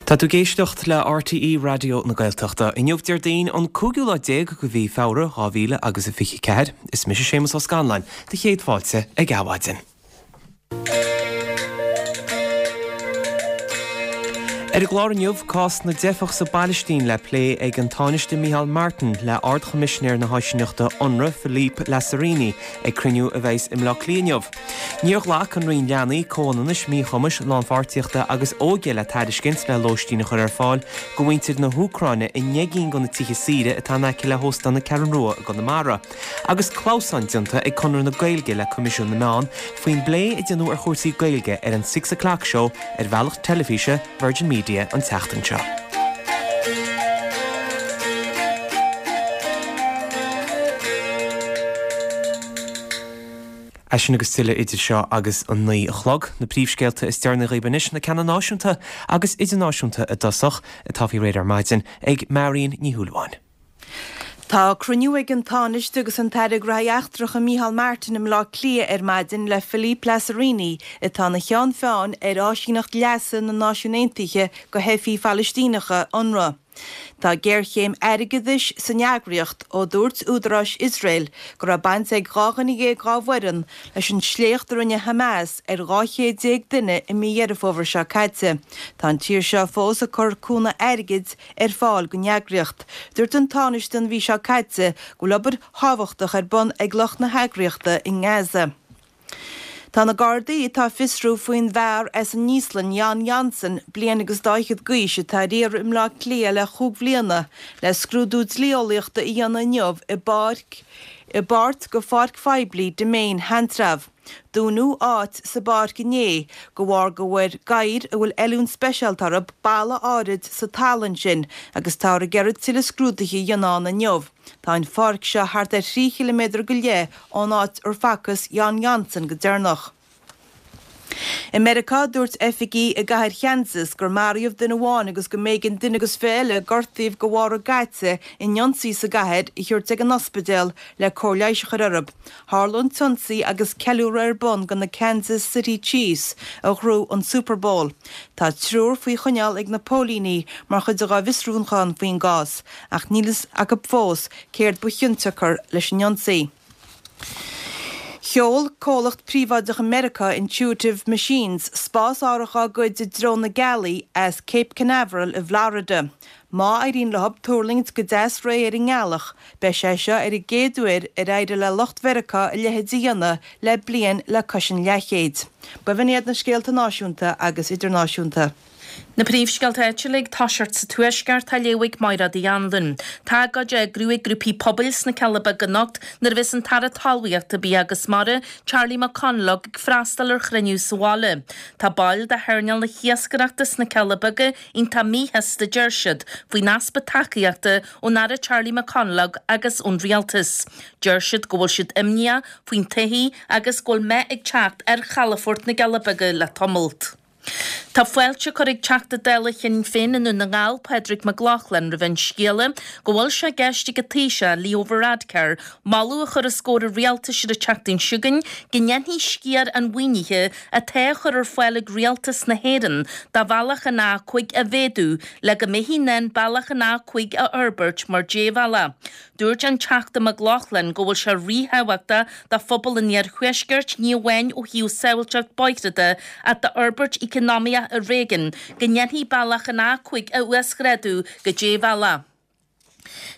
Tá tú ag éisteacht le RTÉ Raidió na Gaeltachta. Inniu Déardaoin an cúigiú lá déag de mhí Feabhra 2000 agus a 24. Is mise Séamus Ó Scanláin, do chéad fáilte ag Adhmhaidin. Ar an gclár inniu, cás na dteifeach sa bPailistín le plé ag an Tánaiste Micheál Martin le Ard-Choimisinéir na hÁisíneachta Unrwa, Philippe Lazzarini, ag cruinniú a bheas i mBleá Cliath inniu. Níor ghlac an Roinn Leanaí, Comhionannais, Míchumais, Lánpháirtíochta agus Óige le tairiscint le lóistín a chur ar fáil do mhuintir na hÚcráine i ndeich gcinn de na tithe saoire atá in aice le hÓstán na Ceathrún Rua i gConamara. Agus clamhsán déanta ag Conradh na Gaeilge le Coimisiún na Meán faoin bplé a déanadh ar chúrsaí Gaeilge ar an Six O'Clock Show ar bhealach teilifíse Virgin Media an tseachtain seo. É sin agus tuilleadh idir seo agus an 9 a chlog. Na príomhscéalta is deireanaí dhaoibh anois, na ceanna náisiúnta agus idirnáisiúnta i dtosach, atá faoi réir ar maidin ag Marion Ní Shúilleabháin. Tá cruinniú ag an Tánaiste agus an tAire Gnóthaí Eachtracha Micheál Martin i mBleá Cliath ar maidin le Philippe Lazzarini, atá ina cheann feadhain ar Áisíneacht Leasa na Náisiún Aontaithe do Theifigh Phalaistíneacha, Unrwa. Tá géarchéim airgeadais san eagraíocht ó dúirt údaráis Iosrael go raibh baint ag 12 dhuine dá bhfoireann leis an sléacht a rinne Hamas ar 12 chéad duine i mí Dheireadh Fómhair seo caite. Tá an tír seo fós ag cur cúnamh airgid ar fáil don eagraíocht. Dúirt an Tánaiste an mhí seo caite go bhfuil obair thábhachtach ar bun ag lucht na heagraíochta i nGaza. Tá na Gardaí atá ag fiosrú faoin bhfear as an Íoslainn, Jón Jónsson, bliain agus dá fhichead d'aois, atá ar iarraidh i mBleá Cliath le chúig bhliana, le scrúdú dlí-eolaíochta a dhéanamh inniu i bpáirc i bpáirt de pháirc phoiblí Demesne Sheantrabh. Dúnadh áit sa bpáirc inné de bharr go bhfuair gadhair a bhfuil oiliúint speisialta orthu balla áirid sa talamh ansin agus táthar ag iarraidh tuilleadh scrúduithe a dhéanamh ann inniu. Tá an pháirc seo thart ar thrí chiliméadar go leith ón áit ar facthas Jón Jónsson go deireanach. I Meiriceá, dúirt oifigigh i gcathair Kansas gur maraíodh duine amháin agus go mb'éigean duine agus 20 eile a gortaíodh de bharr an gcaite in ionsaí sa gcathair a thabhairt ag an ospidéal le cóir leighis a chur orthu. Tharla an t-ionsaí agus ceiliúradh ar bun do na Kansas City Chiefs a ghnóthaigh an Super Bowl. Tá triúr faoi choinneáil ag na póilíní mar chuid dá bhfiosrúchán faoin gcás, ach níl fhios acu fós céard ba chionsiocair leis an ionsaí. Sheol comhlacht príobháideach i Meiriceá, Intuitive Machines, spásárthach dá gcuid i dtreo na gealaí as Cape Canaveral i bhFlorida. Má éiríonn leo tuirlingt go deas réidh ar an ngealach, beidh sé seo ar an gcéad uair ar éirigh le lucht Mheiriceá a leithéid a dhéanamh le bliain le cois an leathchéid. B'in iad na scéalta náisiúnta agus idirnáisiúnta. Na príomhscéalta áitiúla ag toiseacht sa Tuaisceart á léamh ag Mairéad Uí Anluain. Tá agóid á eagrú ag grúpaí pobail sna Cealla Beaga anocht nuair a bheas an tAire Talmhaíochta, Bia agus Mara, Charlie McConalogue ag freastal ar chruinniú sa bhaile. Tá baill de hearnáil na hiascaireachta sna Cealla Beaga iontach míshásta, deir siad, faoin easpa tacaíochta ón Aire Charlie McConalogue agus ón Rialtas. Deir siad go bhfuil siad imníoch faoin todhchaí agus go bhfuil meath ag teacht ar chalafort na gCealla Beaga le tamalt. Tá fáilte curtha ag Teachta Dála Shinn Féin i nDún na nGall, Pádraig Mac Lochlainn, roimh an scéala go bhfuil sé i gceist ag an Taoiseach, Leo Varadkar, moladh a chur os comhair an Rialtais ar an tseachtain seo chugainn go ndéanfaí sciar an mhaoinithe atá á chur ar fáil ag Rialtas na hÉireann do bhealach an A5 a mhéadú le go mbeifí in ann bealach an A5 a fhorbairt mar débhealach. Dúirt an Teachta Mac Lochlainn go bhfuil sé ríthábhachtach do phobal an iarthuaiscirt, ní amháin ó thaobh sábháilteacht bóithre de ach d'fhorbairt eacnamaíoch an réigiúin, go ndéanfaí bealach an A5 a uasghrádú go débhealach.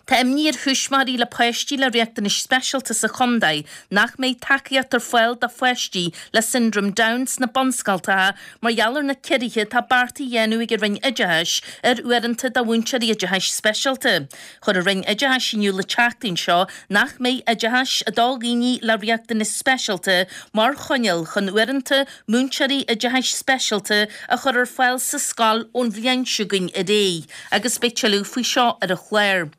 Tá imní ar thuismitheoirí le páistí le riachtanais speisialta sa chontae nach mbeidh tacaíocht ar fáil do pháistí le Siondróm Down sna bunscoltacha mar gheall ar na ciorruithe atá beartaithe a dhéanamh ag an Roinn Oideachais ar uaireanta do mhúinteoirí oideachais speisialta. Chuir an Roinn Oideachais in iúl an tseachtain seo nach mbeidh oideachas do dhaoine le riachtanais speisialta mar choinníoll chun uaireanta múinteoirí oideachais speisialta a chur ar fáil sa scoil ón bhliain seo chugainn ar aghaidh agus beidh tuilleadh faoi seo ar an chlár.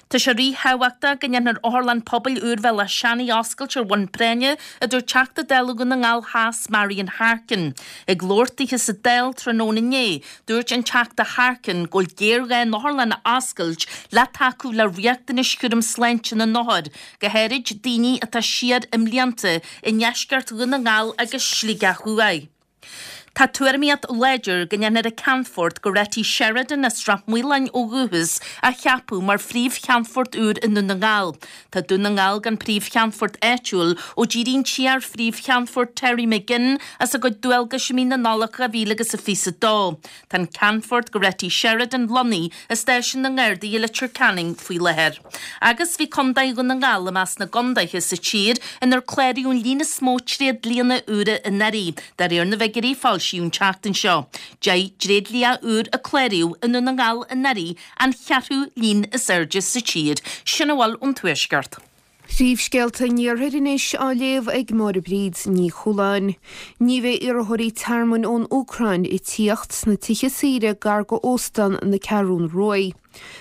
Tá sé ríthábhachtach go ndéanfar Otharlann Pobail úr Bhéal Átha Seanaidh a oscailt ar bhonn práinne, a dúirt Teachta Dála Dhún na nGall Theas Marian Harkin. Ag labhairt dithe sa Dáil tráthnóna inné, Dúirt an Teachta Harkin go bhfuil géarghá an otharlann a oscailt le tacú le riachtanais chúram sláinte na n-othar, go háirid daoine atá siar i mblianta, i ndeisceart Dhún na nGall agus Sligeach Thuaidh. Tá tuairimíocht láidir go ndéanfar an Ceannfort Goretti Sheridan as Srath Maoláin ó dhúchas a cheapadh mar Phríomh-Cheannfort úr i nDún na nGall. Tá Dún na nGall gan Príomh-Cheannfort áitiúil ó d'éirigh an t-iar-Phríomh-Cheannfort Terry McGinn as a gcuid dualgais i mí na Nollag 2022. Tá an Ceannfort Goretti Sheridan lonnaithe i Stáisiún na nGardaí i Leitir Ceanainn faoi láthair. Agus bhí Contae Dhún na nGall i measc na gcontaetha sa tír inar cláraíodh an líon is mó tréidlianna úra anuraidh, de réir na bhfigiúirí a foilsíodh an tseachtain seo. 10 dtréidlia úr a cláraíodh i nDún na nGall anuraidh, an cheathrú líon is airde sa tír. Sin a bhfuil ón Tuaisceart. Príomhscéalta an Iarthair anois á léamh ag Máire Bríd Ní Chualáin. Ní bheidh iarrthóirí tearmainn ón Úcráin ag tíocht sna tithe saoire gar go Óstán na Ceathrún Ruaidh.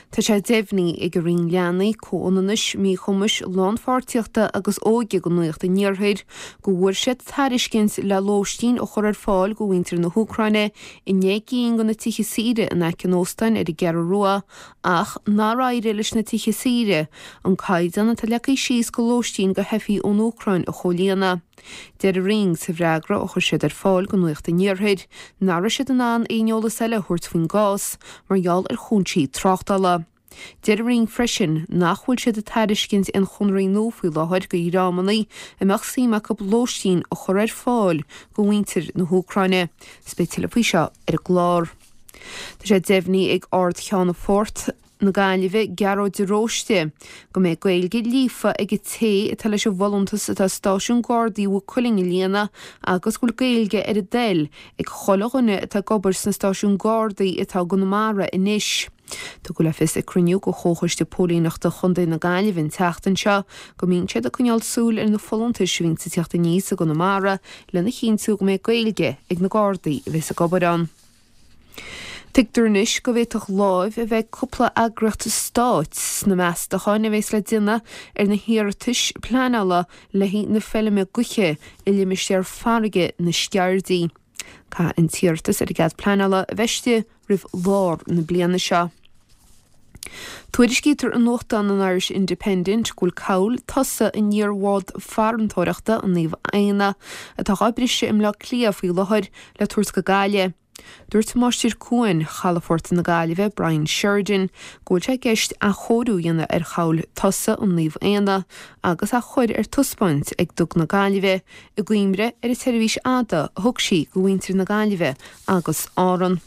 Tá sé deimhnithe ag an Roinn Leanaí, Comhionannais, Míchumais, Lánpháirtíochta agus Óige go Nuacht an Iarthair go bhfuair siad tairiscint le lóistín a chur ar fáil go mhuintir na hÚcráine i ndeich gcinn de na tithe saoire in aice an óstáin ar an gCeathrú Rua ach nár éirigh leis na tithe saoire an caighdeán atá leagtha síos go lóistín go theifigh ón Úcráin a chomhlíonadh. Deir an Roinn sa bhfreagra a chuir siad ar fáil go Nuacht an Iarthair nach raibh siad in ann aon eolas eile a thabhairt faoin gcás mar gheall ar chúinsí tráchtála. Deir an Roinn freisin nach bhfuil siad ag tairiscint aon chonarthaí nua faoi láthair go dhreamanna a mbeadh suim acu lóistín a chur ar fáil go mhuintir na hÚcráine. 'S beidh tuilleadh faoi seo ar an gclár. Tá sé deimhnithe ag Ard-Cheannfort na Gaillimhe, Gearóid de Róiste, go mbeidh Gaeilge líofa ag an té atá leis an bhfolúntas atá i Stáisiún Gardaí Mhaigh Cuilinn a líonadh agus go bhfuil Gaeilge ar a dtoil ag chuile dhuine atá ag obair sna stáisiúin Gardaí atá i gConamara anois. Tugadh le fios ag cruinniú de Chomhchoiste Póilíneachta Chontae na Gaillimhe an tseachtain seo go mbíonn siad ag coinneáil súil ar na folúntais a bhíonns ag teacht aníos i gConamara lena chinntiú go mbeidh Gaeilge ag na Gardaí a bheas ag obair ann. Tuigtear anois go bhféadfadh láimh a bheith ag cúpla eagraíocht stáit sna meastacháin a bheas le déanamh ar na hiarratais pleanála le haghaidh na feilme gaoithe i limistéar farraige na Sceairdí. Caithfidh an t-iarratas ar an gcead pleanála a bheith istigh roimh lár na bliana seo. Tuairiscítear i nuachtán an Irish Independent go bhfuil cabhail tosaigh an iar-bhád farantóireachta, an Naomh Éanna, atá dhá briseadh i mBleá Cliath faoi láthair, le tabhairt go Gaillimh. Dúirt Máistir Cuain Chalafort na Gaillimhe, Brian Sheridan, go bhfuil sé i gceist athchóiriú a dhéanamh ar chabhail tosaigh an Naomh Éanna agus é a chur ar taispeáint ag Duga na Gaillimhe i gcuimhne ar an tseirbhís fhada a thug sí go mhuintir na Gaillimhe agus Árann.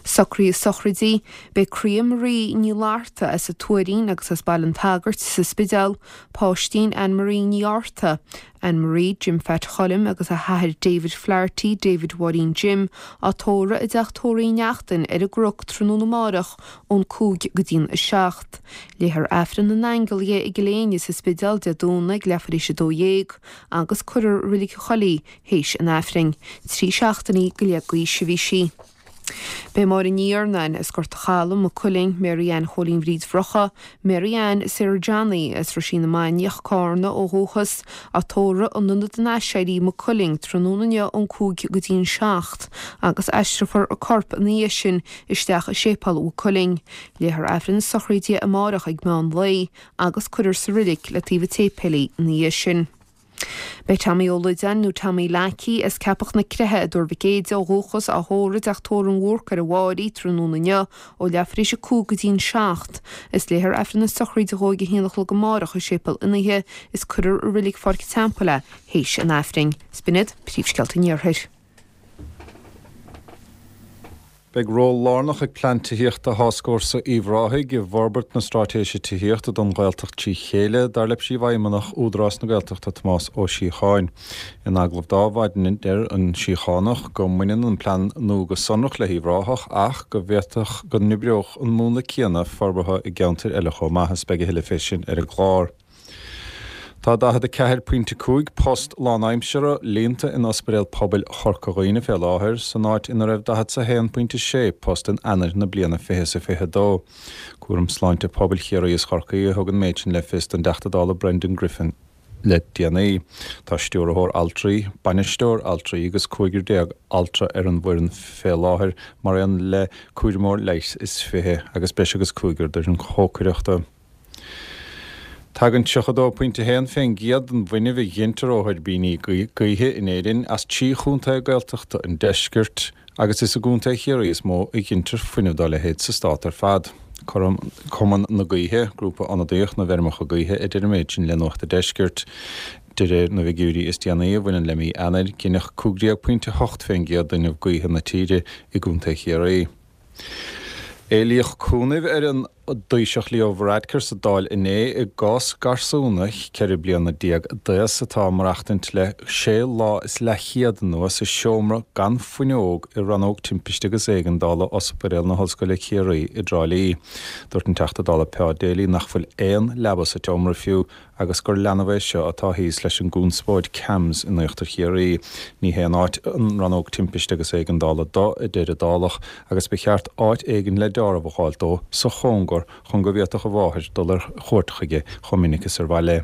Socruithe sochraidí, Beidh Croidhe Marie Ní Fhlatharta as an Tuairín agus as Baile an tSagairt sa Spidéal, Páistín Anne Marie Ní Fhátharta, Anne Marie Jim Phat Choilm agus a hathair David Flaherty, David Mháirín Jim, á tórramh i dteach tórraimh Uí Neachtain ar an gCnoc tráthnóna amárach ón 5 go dtí'n 7. Léifear Aifreann na nAingeal dhi i gCill Éinne sa Spidéal Dé Domhnaigh ag leathuair théis 12 agus cuirfear i Reilig an Choill í théis an Aifrinn. 3 seachtainí go leith d'aois a bhí sí. Beidh Máire Ní Iarnáin as Gort a' Chalaidh, Maigh Cuilinn, Mary Ann Chóilín Bhríd Bhrocha, Mary Ann Sarah Johnny as Roisín na Mainiach, Cárna ó dhúchas, á tórramh in Ionad an Aiséirí, Maigh Cuilinn, tráthnóna inniu ón 5 go dtí'n 7 agus aistreofar a corp ina dhiaidh sin isteach i Séipéal Mhaigh Cuilinn. Léifear Aifreann na sochraide amárach ag meán lae agus cuirfear sa reilig le taobh an tséipéil í ina dhiaidh sin. Beidh Tommy Ó Loideáin nó Tommy Leacaí as Ceapach na Creiche i dTuar Mhic Éide ó dhúchas á thórramh i dteach tórraimh an Bhúrc ar an Bhfáirí tráthnóna inniu ó leathuair tar éis a 5 go dtí'n 7. Is léifear Aifreann na sochraide dhó ag a haon a chlog amárach i Séipéal Fhionnaithe is cuirfear i Reilig Pháirc an Teampaill é théis an Aifrinn. 'S b'in iad príomhscéalta an Iarthair. Beidh ról lárnach ag Plean Tithíochta Tháscfhórsa Uíbh Ráthaigh i bhforbairt na Straitéise Tithíochta don Ghaeltacht trí chéile, dar le Príomhfheidhmeannach Údarás na Gaeltachta Tomás Ó Síocháin. In agallamh dá mhaidin deir an Síochánach go mbaineann an plean nua go sonrach le hUíbh Ráthach ach go bhféadfadh go n-oibreodh an múnla céanna forbartha i gceantair eile chomh maith is beidh a thuilleadh fé sin ar an gclár. Tá 44.5 post lánaimseartha líonta in Ospidéal Pobail Chorca Dhuibhne fé láthair, san áit ina raibh 41.6 post in Eanáir na bliana 2022. Cúram Sláinte Pobail Chiarraí is Chorcaí a thug an méid sin le fios don dTeachta Dála Brendan Griffin le déanaí. Tá stiúrthóir altraí, bainisteoir altraí agus 15 altra ar an bhfoireann fé láthair, mar aon le cúramóir leighis is 20 agus breis agus cúigear d'fhoireann chócaireachta. Tagann 32.1 fén gcéad den bhfuinneamh a ghintear ó thuirbíní gaoithe in Éirinn as trí chontae Gaeltachta an deiscirt agus is i gContae Chiarraí is mó a ghintear fuinneamh dá leithéid sa stát ar fad. Cumann na Gaoithe, grúpa ionadaíoch na bhfeirmeacha gaoithe, a deir an méid sin le Nuacht an Deiscirt. De réir na bhfigiúirí is déanaí a bhaineann le mí Eanáir, gineadh 15.8 fén gcéad d'fhuinneamh gaoithe na tíre i gContae Chiarraí. Éilíodh cúnamh ar an dTaoiseach Leo Varadkar sa Dáil inné i gcás garsúna 14 bliana d'aos atá ag maireachtaint le sé lá is leathchéad anuas i seomra gan fuinneog i Rannóg Timpiste agus Éigeandála Ospidéal na hOllscoile Ciarraí i dTrá Lí. Dúirt an Teachta Dála Pa Daly nach bhfuil aon leaba sa tseomra fiú agus gur leanbh é seo atá thíos leis an gconspóid CAMHS in Íochtar Chiarraí. Ní haon áit an Rannóg Timpiste agus Éigeandála do, a deir an Dálach, agus ba cheart áit éigin le deáramh a fháilt dó sa chóngar chun go bhféadfadh a mháthair dul ar chuairt chuige chomh minic is ar mhaith léi.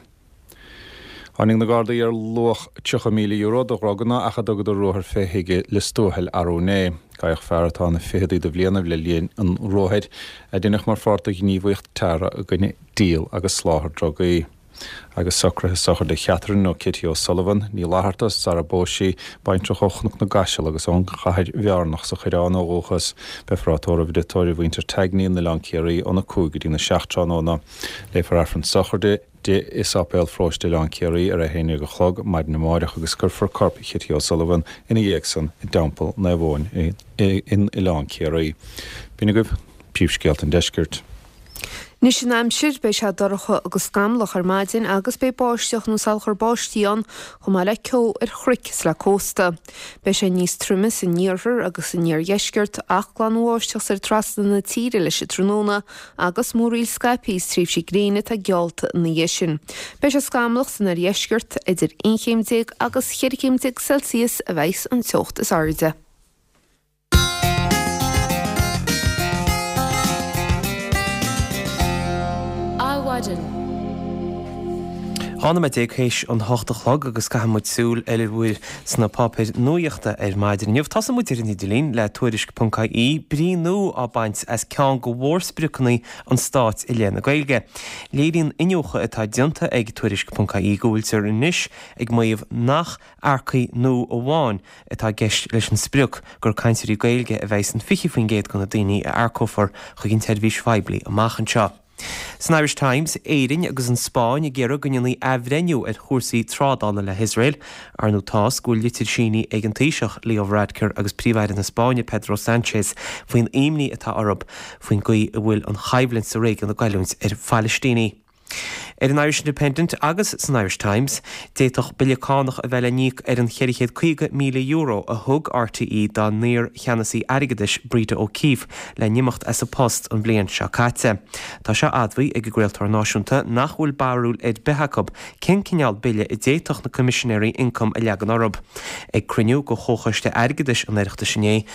Tháinig na Gardaí ar luach €30,000 de dhruganna ach a dtugadar ruathar fé thigh i Lios Tuathail arú inné. Gabhadh fear atá ina ficheadaí de bhlianaibh le linn an ruathair, a deineadh mar pháirt de ghníomhaíocht teaghartha i gcoinne díol agus soláthar drugaí. Agus socruithe sochraide Chatherine nó Kitty O'Sullivan, Ní Fhlatharta, sara bpós sí, baintreach ó Chnoc na gCaiseal agus ón Chathair Bhearnach sa Choireán ó dhúchas. Beifear á tórramh i dtigh tórraimh mhuintir Tagney in Oileán Ciarraí óna 5 go dtína 7 tráthnóna. Léifear Aifreann sochraide di i Sáipéal Pharóiste Oileán Ciarraí ar a 11 a chlog maidin amáireach agus cuirfear corp Chitty O'Sullivan ina dhiaidh san i dTeampall Naomh Eoin in Oileán Ciarraí. B'in agaibh príomhscéalta an deiscirt. Anois an aimsir, beidh sé dorcha agus scamallach ar maidin agus beidh báisteach nó salachar báistí ann chomh maith le ceo ar chnoic is le cósta. Beidh sé níos troime san iarthar agus san iardheisceart ach glanbháisteach soir trasna na tíre leis an tráthnóna agus múraíl scaipthe is tréimhsí gréine atá geallta ina dhiaidh sin. Beidh sé scamallach san oirdheisceart, idir 11 chéim agus 14 chéim Celsius a bheidhs an teocht is airde. Adhmhaidin. 12 nóiméad théis an hocht a chlog agus caithfidh muid súil ar a bhfuil sna páipéir nuachta ar maidin inniu. Tosóidh muid ar an idirlíon le Tuairisc.ie, brí nua á baint as ceann de mhórspriocanna an stáit i leith na Gaeilge. Léiríonn iniúchadh atá déanta ag Tuairisc.ie go bhfuiltear anois ag maíomh nach earcaigh nua amháin atá i gceist leis an sprioc gur cainteoirí Gaeilge a bheidh san 20% de na daoine a earcófar chuig an tseirbhís phoiblí amach anseo. San Irish Times, Éirinn agus an Spáinn ag iarraidh go ndéanfaí athbhreithniú ar chúrsaí trádála le hIosrael. Ar ndóigh tá's go bhfuil litir sínithe ag an Taoiseach, Leo Varadkar agus Príomh-Aire na Spáinne, Pedro Sanchez faoin imní atá orthu faoin gcaoi a bhfuil an choimhlint sa réigiún ag goilliúint ar Phalaistínigh. Ar an Irish Independent agus san Irish Times, d'fhéadfadh bille cánach a bheith le n-íoc ar an €450,000 a thug RTÉ dá n-iar-cheannasaí airgeadais Breda O'Keeffe le n-imeacht as a post an bhliain seo caite. Tá sé admhaithe ag an gcraoltóir náisiúnta nach bhfuil barúil ar bith acu cén cineál bille a d'fhéadfadh na Coimisinéirí Ioncaim a leagan orthu. Ag cruinniú de Chomhchoiste Airgeadais an Oireachtais inné,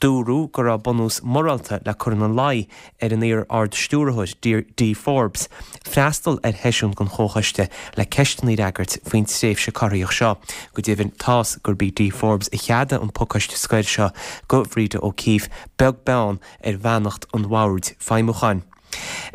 dúradh go raibh bunús morálta le cur ina luí ar an iar-Ard-Stiúrthóir, Dee Forbes, freastal ar sheisiún den Chomhchoiste le ceisteanna a fhreagairt faoin tréimhse corraitheach seo. Go deimhin, tá's gurb í Dee Forbes a cheadaigh an pacáiste scoir seo do Bhreda O'Keeffe, beag beann ar bheannacht an Bhoird Feidhmiúcháin.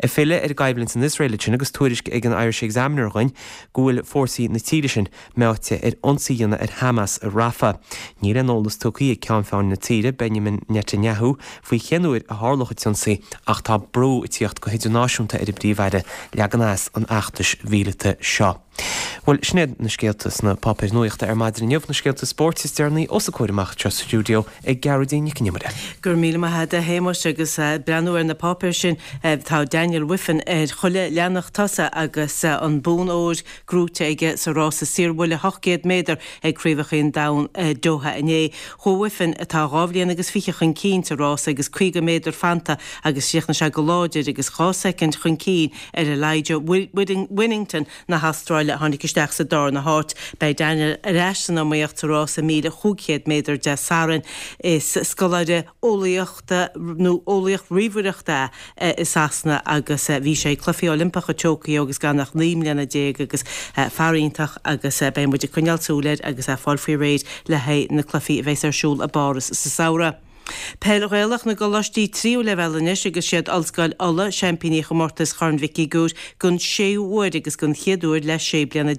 Ag filleadh ar an gcoimhlint san Iosrael ansin agus tuairisc ag an Irish Examiner dhuinn go bhfuil fórsaí na tíre sin meáite ar ionsaí a dhéanamh ar Hamas i Rafah. Níl aon eolas tugtha ag ceann feadhain na tíre, Benjamin Netanyahu, faoi cén uair a tharlódh an t-ionsaí ach tá brú ag tíocht go hidirnáisiúnta ar an bPríomh-Aire leagan as an fheachtais mhíleata seo. Bhuel, sin iad na scéalta sna páipéir nuachta ar maidin inniu, na scéalta spóirt is deireanaí os a comhair amach anseo sa stiúideo ag Gearóidín Nic an Iomaire. Go raibh míle maith agat a Shéamuis agus breathnú ar na páipéir sin tá Daniel Wiffen ar chuile leathanach tosaigh agus an bonn óir gnóite aige sa rása saorbhuille 800 méadar ag Craobhacha an Domhain i Doha inné. Chuaigh Wiffen, atá dhá bhliain agus fiche, chun cinn sa rása agus 50 méadar fanta agus chríochnaigh sé go láidir agus dhá soicind chun cinn ar Elijah Winnington na hAstráile a tháinig isteach sa darna háit. Beidh Daniel ar ais san iomaíocht sa rása 1,500 méadar Dé Sathairn. Is scoláire eolaíochta nó eolaíocht ríomhaireachta é i Sasana agus bhí sé ag Cluichí Oilimpeacha Tokyo agus gan ach 19 mbliana agus fear iontach agus beidh muid ag coinneáil súil air agus é ag fáil faoi réir le haghaidh na cluichí a bheas ar siúl i bPáras sa samhradh. Peil Ghaelach na gcoláistí tríú leibhéal anois agus siad Ollscoil Uladh seaimpíní chomórtas Chorn Mhic Uí Dhuibhir don séú huair agus don chéad uair le 16 bliana.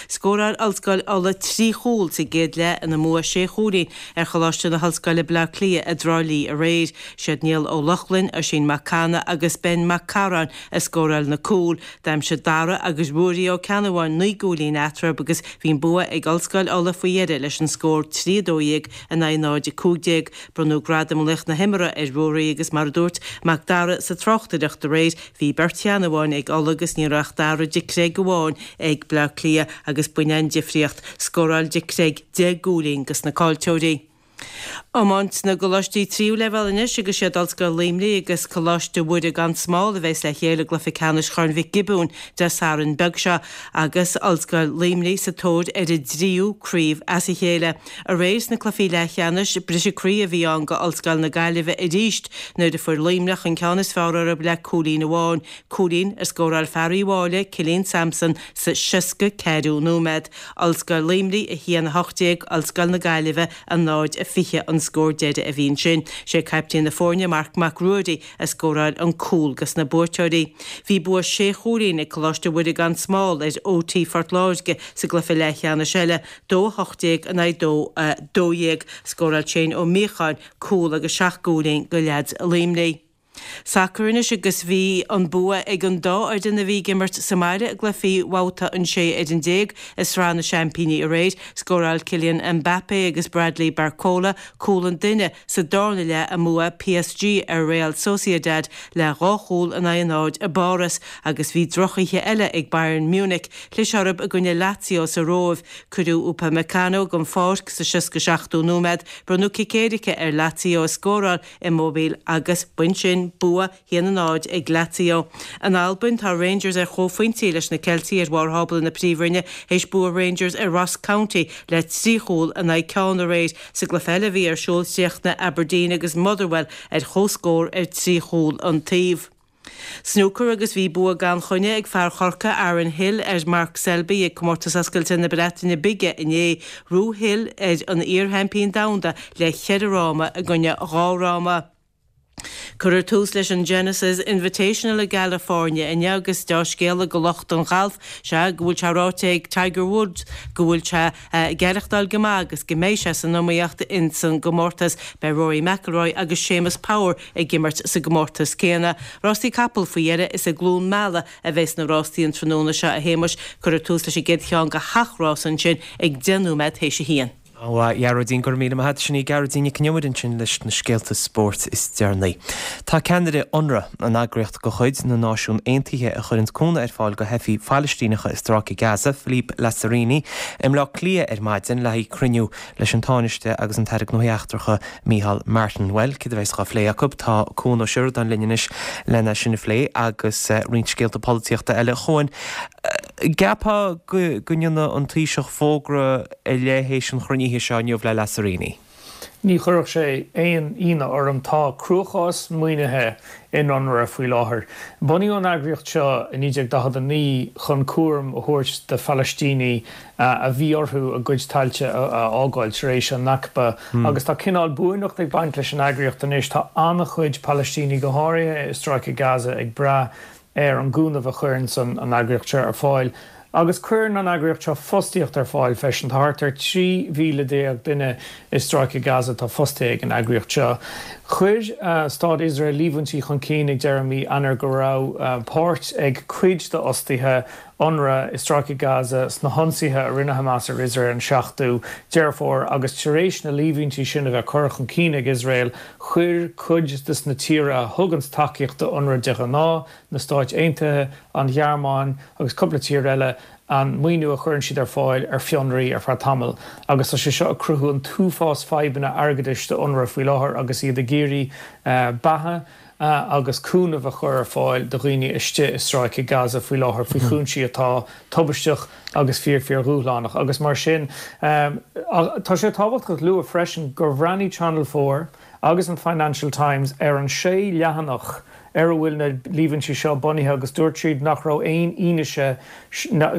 Scóráil Ollscoil Uladh 3 chúl sa gcéad leath ina mbua sé chúilín ar Choláiste na hOllscoile Bleá Cliath i dTrá Lí aréir. Siad Niall Ó Lochlainn, Oisín Mac Cana agus Ben Mac Carráin a scóráil na cúil. D'aimsigh Dara agus Ruairí Ó Ceannabháin 9 gcúilín eatarthu agus bhí an bua ag Ollscoil Uladh faoi dheireadh leis an scór 3 12 in aghaidh 0, 15. Bronnadh gradam Laoch na hImeartha ar Ruairí agus mar a dúirt Mac Dara sa tráchtaireacht aréir, bhí beirt Cheannabháin ag Ulaidh agus ní raibh ach Dara de Creag amháin ag Bleá Cliath agus b'in an difríocht. Scóráil de Creag 10 gcúilín dos na caillteoirí. Iomáint na gcoláistí tríú leibhéal anois agus siad Ollscoil Luimnigh agus Coláiste Mhuire gan Smál a bheas le chéile i gcluiche ceannais Chorn Mhic Giobúin Dé Sathairn beag seo agus Ollscoil Luimnigh sa tóir ar a dtríú craobh as a chéile. Aréir sna cluichí leathcheannais, briseadh croí a bhí ann go Ollscoil na Gaillimhe arís nuair a fuair Luimneach an ceann is fearr orthu le cúilín amháin, cúilín a scóráil fear Uíbh Fhailí, Cillian Sampson, sa 64ú nóiméad. Ollscoil Luimnigh 1, 18, Ollscoil na Gaillimhe 0, 20 an scór deiridh a bhí ansin. Sé caiptín na foirne, Marc Mac Ruairí, a scóráil an cúl dos na buaiteoirí. Bhí bua sé chúilín ag Coláiste Mhuire gan Smál ar OT Phort Láirge sa gcluiche leathcheannais eile. 2, 18 in aghaidh 2, 12. Scóráil Shane Ó Míocháin cúl agus seacht gcúilín go leaids Luimnigh. Sacar anois agus bhí an bua ag an dá fhoireann a bhí ag imirt sa mbaile i gcluichí bhabhta an 16 ar an i Sraith na Seaimpíní aréir. Scóráil Kylian Mbappe agus Bradley Barcola cúl an duine sa darna leath i mbua PSG ar Real Sociedad le dhá chúl in aghaidh a náid i bPáras agus bhí drochoíche eile ag Bayern Munich. Chlis orthu i gcoinne Lazio sa Róimh. Cuireadh Upamecano den pháirc sa 67ú nóiméad. Bronnadh cic éirice ar Lazio a scóráil Immobile agus b'in sin bua 1-0 ag Lazio. In Albain, tá Rangers ar chomhphointí leis na Ceiltigh ar bharr thábla na Príomhroinne théis bua Rangers ar Ross County le 3 chúl in aghaidh ceann aréir. Sa gcluiche eile a bhí ar siúl chríochnaigh Aberdeen agus Motherwell ar chomhscór ar 3 chúl an taobh. Snúcar agus bhí bua gan choinne ag fear Chorcaí Aaron Hill ar Mark Selby ag Comórtas Oscailte na Breataine Bige inné. Ghnóthaigh Hill ar an iar-sheaimpín domhanda le cheithre fhráma i gcoinne dhá fhráma. Cuirfear tús leis an Genesis Invitational i gCalifornia inniu agus deá-scéala go lucht an ghailf, sea go bhfuil sé ráite ag Tiger Woods go bhfuil sé ag aireachtáil go maith agus go mbeidh sé san iomaíocht ins an gcomórtas. Beidh Rory McIlroy agus Séamus Power ag imirt sa gcomórtas céanna. Rástaí capall faoi dheireadh is i gCluain Meala a bheas na rástaí an tráthnóna seo, a Shéamuis. Cuirfear tús leis an gcéad cheann de sheacht rás ansin ag 10 nóiméad théis a haon. A Ghearóidín, go raibh míle maith agat. Sin í Gearóidín Nic Con Iomaire ansin leis na scéalta spóirt is deireanaí. Tá ceannaire Unrwa, an eagraíocht de chuid na Náisiún Aontaithe a chuireanns cúnamh ar fáil do theifigh Phalaistíneacha i Stráice Gaza, Philippe Lazzarini, i mBleá Cliath ar maidin le haghaidh cruinniú leis an Tánaiste agus an tAire Gnóthaí Eachtracha Micheál Martin. Bhuel, céard a bheas á phlé acu? Tá Cuan Ó Seireadáin linn anois lena sin a phlé agus roinnt scéalta polaitíochta eile. A Chuain, gceapfá go ndéanfaidh an Taoiseach fógra ar leith théis an chruinnithe seo inniu le Lazzarini? Ní chuirfeadh sé aon ionadh orm. Tá cruachás maoinithe in Unrwa faoi láthair. Bunaíodh an eagraíocht seo i 1949 chun cúram a thabhairt do Phalaistínigh a bhí orthu a gcuid tailte a fhágáil tar éis an Nakba agus tá cineál buaineacht ag baint leis an eagraíocht anois. Tá an-chuid Palaistínigh, go háirithe i Stráice Gaza, ag brath ar an gcúnamh a chuireanns an eagraíocht seo ar fáil. Agus cuireann an eagraíocht seo fostaíocht ar fáil freisin. Tá thart ar 13,000 duine i Stráice Gaza atá fostaithe ag an eagraíocht seo. Chuir Stát Iosrael líomhaintí chun cinn ag deireadh mí Eanáir go raibh páirt ag cuid d'fhostaithe Unrwa i Stráice Gaza sna hionsaithe a rinne Hamas ar Iosrael an 7ú Deireadh Fómhair agus tar éis na líomhaintí sin a bheith curtha chun cinn ag Iosrael, chuir cuid de na tíortha a thuganns tacaíocht do Unrwa de ghnáth, na Stáit Aontaithe, an Ghearmáin agus cúpla tír eile, an maoiniú a chuireann siad ar fáil ar fionraí ar feadh tamaill agus tá sé seo ag cruthú an t-uafás fadhbanna airgeadais do Unrwa faoi láthair agus iad ag iarraidh beatha agus cúnamh a chur ar fáil do dhaoine istigh i Stráice Gaza faoi láthair faoi chúinsí atá tubaisteach agus fíor fíor dhúshlánach agus mar sin tá sé tábhachtach a lua freisin gur bhreathnaigh Channel 4 agus an Financial Times ar an sé leathanach. ar a bhfuil na líomhaintí seo bunaithe agus dúirt siad nach raibh aon fhianaise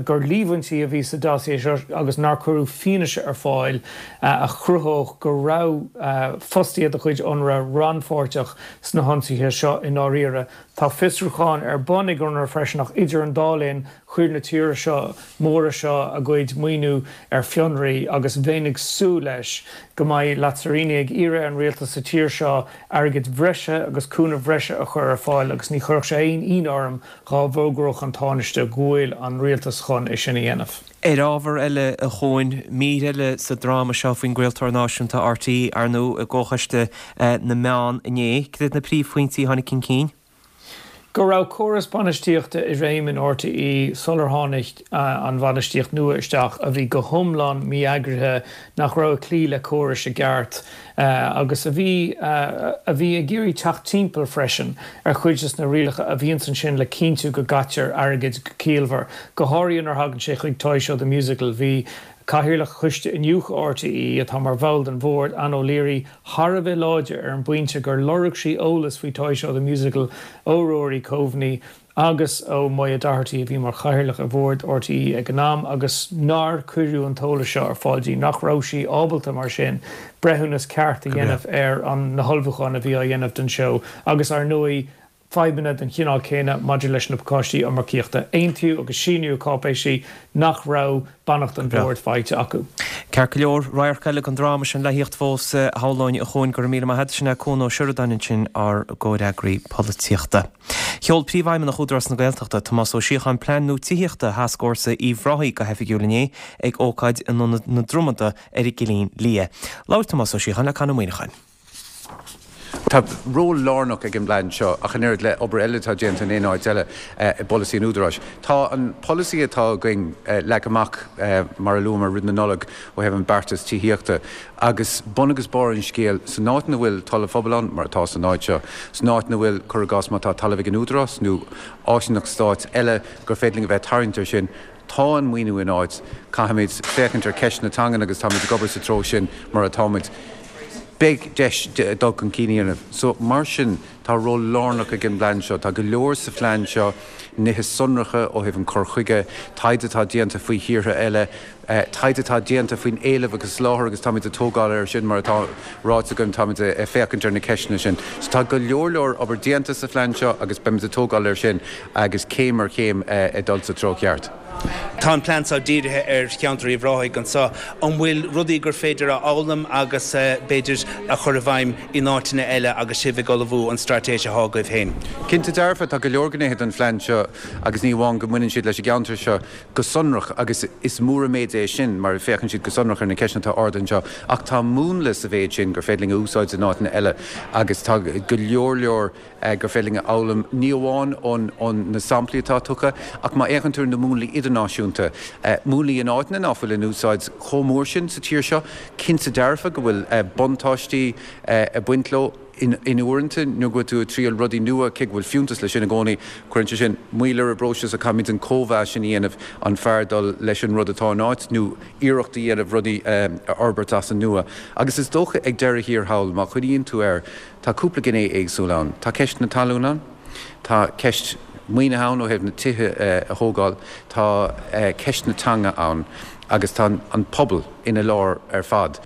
gur líomhaintí a bhí sa dossier seo agus nár cuireadh fianaise ar fáil a chruthódh go raibh fostaithe de chuid Unrwa rannpháirteach sna hionsaithe seo i ndáiríre. Tá fiosrúchán ar bun ag Unrwa freisin ach idir an dá linn chuir na tíortha seo móra seo a gcuid maoiniú ar fionraí agus bheinn ag súil leis go mbeidh Lazzarini ag iarraidh ar an rialtas sa tír seo airgead bhreise agus cúnamh bhreise a chur ar fáil agus ní chuirfeadh sé aon ionadh orm dhá bhfógródh an Tánaiste go bhfuil an rialtas chun é sin a dhéanamh. Ar ábhar eile, a Chuain, mír eile sa dráma seo faoin gcraoltóir náisiúnta RTÉ, ar ndóigh, i gComhchoiste na Meán inné. Cad iad na príomhphointí a tháinig chun cinn? Go raibh córas bainistíochta i réim in RTÉ sular tháinig an bhainistíocht nua isteach a bhí go hiomlán mí-eagraithe, nach raibh ag cloí le córais i gceart agus a bhí a bhí ag iarraidh teacht timpeall freisin ar chuid des na rialacha a bhíonns ansin le cinntiú go gcaitear airgead go ciallmhar, go háirithe nuair a thagann sé chuig Toy Show The Musical. Bhí Cathaoirleach Choiste Iniúchadh RTÉ, atá mar bhall den bhord, Ann O'Leary, thar a bheith láidir ar an bpointe gur lorg sí eolas faoi Toy Show The Musical ó Rory Coveney agus ó Moya Doherty a bhí mar chathaoirleach ar bhord RTÉ ag an am agus nár cuireadh an t-eolas seo ar fáil di, nach raibh sí ábalta mar sin breithiúnas ceart a dhéanamh ar an na hullmhúcháin a bhí á dhéanamh don seó agus ar ndóigh fadhbanna den chineál céanna maidir leis na pacáistí iomarcaíochta. Aontaíodh agus síníodh cáipéisí nach raibh beannacht an bhoird faighte acu. Ceart go leor, radharc eile den dráma sin le thíocht fós, shamhlóinn, a Chuain. Go raibh míle maith agat. Sin é Cuan Ó Seireadáin ansin, ár gcomhfhreagraí polaitíochta. Sheol Príomhfheidhmeannach Údarás na Gaeltachta, Tomás Ó Síocháin plean nua tithíochta Thascfhórsa Uíbh Ráthaigh go hoifigiúil inné ag ócáid in Ionad na Dromada ar an gCillín Liath. Labhair Tomás Ó Síocháin le Conn Ó Muíneacháin. Tá ról lárnach ag an bplean seo, ach an oiread le obair eile atá déanta in aon áit eile i bpolasaí an Údaráis. Tá an polasaí atá againn leagtha amach, mar a luamar roimh na Nollag, ó thaobh an beartas tithíochta, agus bun agus barr an scéil, san áit ina bhfuil talamh phobail ann, mar atá san áit seo, san áit ina bhfuil, cuir i gcás, má tá talamh ag an Údarás nó áisíneacht stáit eile gur féidir linn a bheith ag tarraingt air sin, Tá an maoiniú in áit. Caithfimid féachaint ar cheist na teangan agus táimid ag obair sa treo sin mar atáimid. Beidh deis dul chun cinn a dhéanamh. So, mar sin, tá ról lárnach ag an bplean seo. Tá go leor sa phlean seo, nithe sonracha ó thaobh an cur chuige, taighde atá déanta faoi thíortha eile, taighde atá déanta faoin éileamh agus soláthar agus táimid ag tógáil air sin mar atá ráite agam, táimid ag féachaint ar na ceisteanna sin. So tá go leor leor obair déanta sa phlean seo agus beimid ag tógáil air sin agus céim ar chéim ag dul sa treo ceart. Tá an plean seo dírithe ar cheantar Uíbh Ráthaigh anseo. An bhfuil rudaí gur féidir a fhoghlaim agus b'fhéidir a chur i bhfeidhm in áiteanna eile agus sibh ag ullmhú an straitéis atá agaibh féin? Cinnte dearfa, tá go leor gnéithe den phlean seo agus ní amháin go mbaineann siad leis an gceantar seo go sonrach agus is mór an méid é sin mar féachann siad go sonrach ar na ceisteanna atá ardaithe anseo ach tá múnla sa mhéid sin gur féidir linn a úsáid in áiteanna eile agus tá go leor leor gur féidir linn a fhoghlaim, ní amháin ó na samplaí atá tugtha, ach má fhéachann tú ar na múnlaí idirnáisiúnta, múnlaí in áiteanna ná fuil in úsáid chomh mór sin sa tír seo, cinnte dearfa go bhfuil buntáistí ag baint leo in uaireanta nuair go bhfuil tú ag triail rudaí nua, cé go bhfuil fiúntas leis sin i gcónaí, cuireann sé sin moill ar an bpróiseas ach caithfimid an cóimheas sin a dhéanamh, an fearr dul leis an rud atá in áit nó iarracht a dhéanamh rudaí a fhorbairt as an nua. Agus is dócha ag deireadh thiar thall, má chuimhníonn tú air, Tá cúpla gné éagsúil ann. Tá ceist na talún ann, tá ceist maoinithe ann ó thaobh na tithe a thógáil, tá ceist na teanga ann agus tá an pobal ina lár ar fad.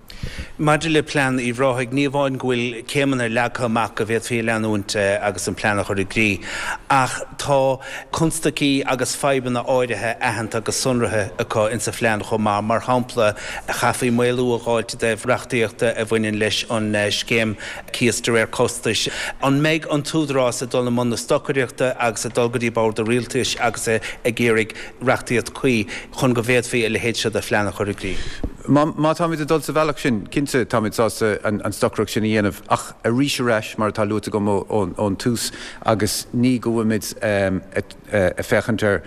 Maidir le plean Uíbh Ráthaigh, ní amháin go bhfuil céimeanna leagtha amach go bhféadfaí a leanúint agus an plean a chur i gcrích, ach tá constaicí agus fadhbanna áirithe aitheanta agus sonraithe acu insa phlean chomh maith. Mar shampla, chaithfí maolú a dh'fháilt i dtaobh reachtaíochta a bhaineann leis an scéim cíos de réir costais. An mbeidh an tÚdarás ag dul i mbun na stocaireachta agus ag dul go dtí bord an rialtais agus ag iarraidh reachtaíocht cuí chun go bhféadfaí a leithéid seo de phlean a chur i gcrích? Má táimid ag dul sa bhealach sin, cinnte táimid sásta an stocaireacht sin a dhéanamh ach arís ar ais, mar atá luaite agam ón tús agus ní go bhfuilimid ag féachaint ar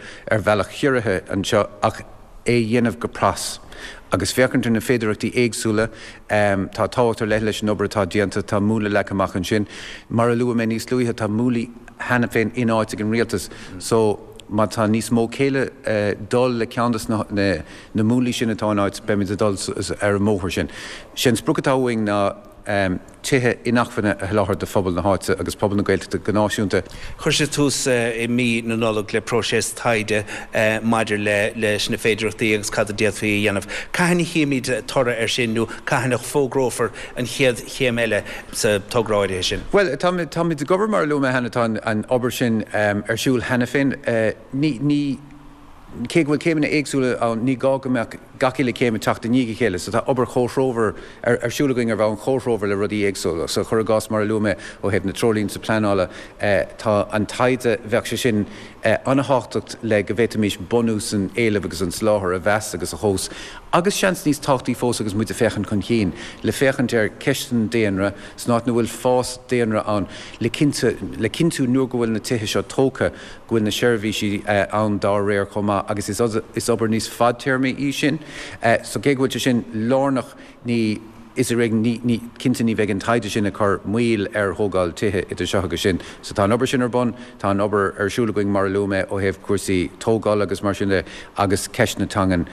bhealach ciorraithe anseo ach, é a dhéanamh go pras agus féachaint ar na féidearthachtaí éagsúla. Tá tábhacht ar leith leis an obair atá déanta, tá múnla leagtha amach ansin. Mar a luaigh mé níos luaithe, tá múnlaí cheana féin in áit ag an rialtas so má tá níos mó céille dul le ceann de na múnlaí sin atá in áit, beimid ag dul ar an mbóthar sin. Sé an sprioc atá uainn ná. tithe inacmhainne a sholáthar do phobal na háite agus pobal na Gaeltachta go náisiúnta. Chuir sé tús i mí na Nollag le próiseas taighde maidir leis na féidearthachtaí agus cad a d'fhéadfaí a dhéanamh. Cathain a chífimid toradh air sin nó cathain a fógrófar an chéad chéim eile sa togra áirithe sin? Bhuel, táimid ag obair, mar a luaigh mé cheana, tá an obair sin ar siúl cheana féin. Ní. Cé go bhfuil céimeanna éagsúla ann, ní gá go mbeadh gach uile chéim ag teacht i ndiaidh a chéile. So tá obair chomhthreomhar ar siúl againn ar bhonn chomhthreomhar le rudaí éagsúla. So cuir i gcás, mar a luaigh mé, ó thaobh na treoirlínte pleanála, tá an taighde, bheadh sé sin an-thábhachtach le go bhféadfaimis bunús an éilimh agus an tsoláthair a mheas agus a thomhas. Agus seans níos tábhachtaí fós agus muid ag féachaint chun cinn, le féachaint ar cheist an daonra, san áit ina bhfuil fás daonra ann, le le cinntiú nuair go bhfuil na tithe seo tógtha, go bhfuil na seirbhísí ann dá réir chomh maith agus is obair níos fadtéarmaí í sin. So cé go bhfuil sé sin lárnach, ní, is ar éigean, ní, ní, cinnte ní bheidh an taighde sin ag cur moill ar thógáil tithe idir seo agus sin. So tá an obair sin ar bun, tá an obair ar siúl againn mar a luaigh mé ó thaobh cúrsaí tógála agus mar sin de agus ceist na teangan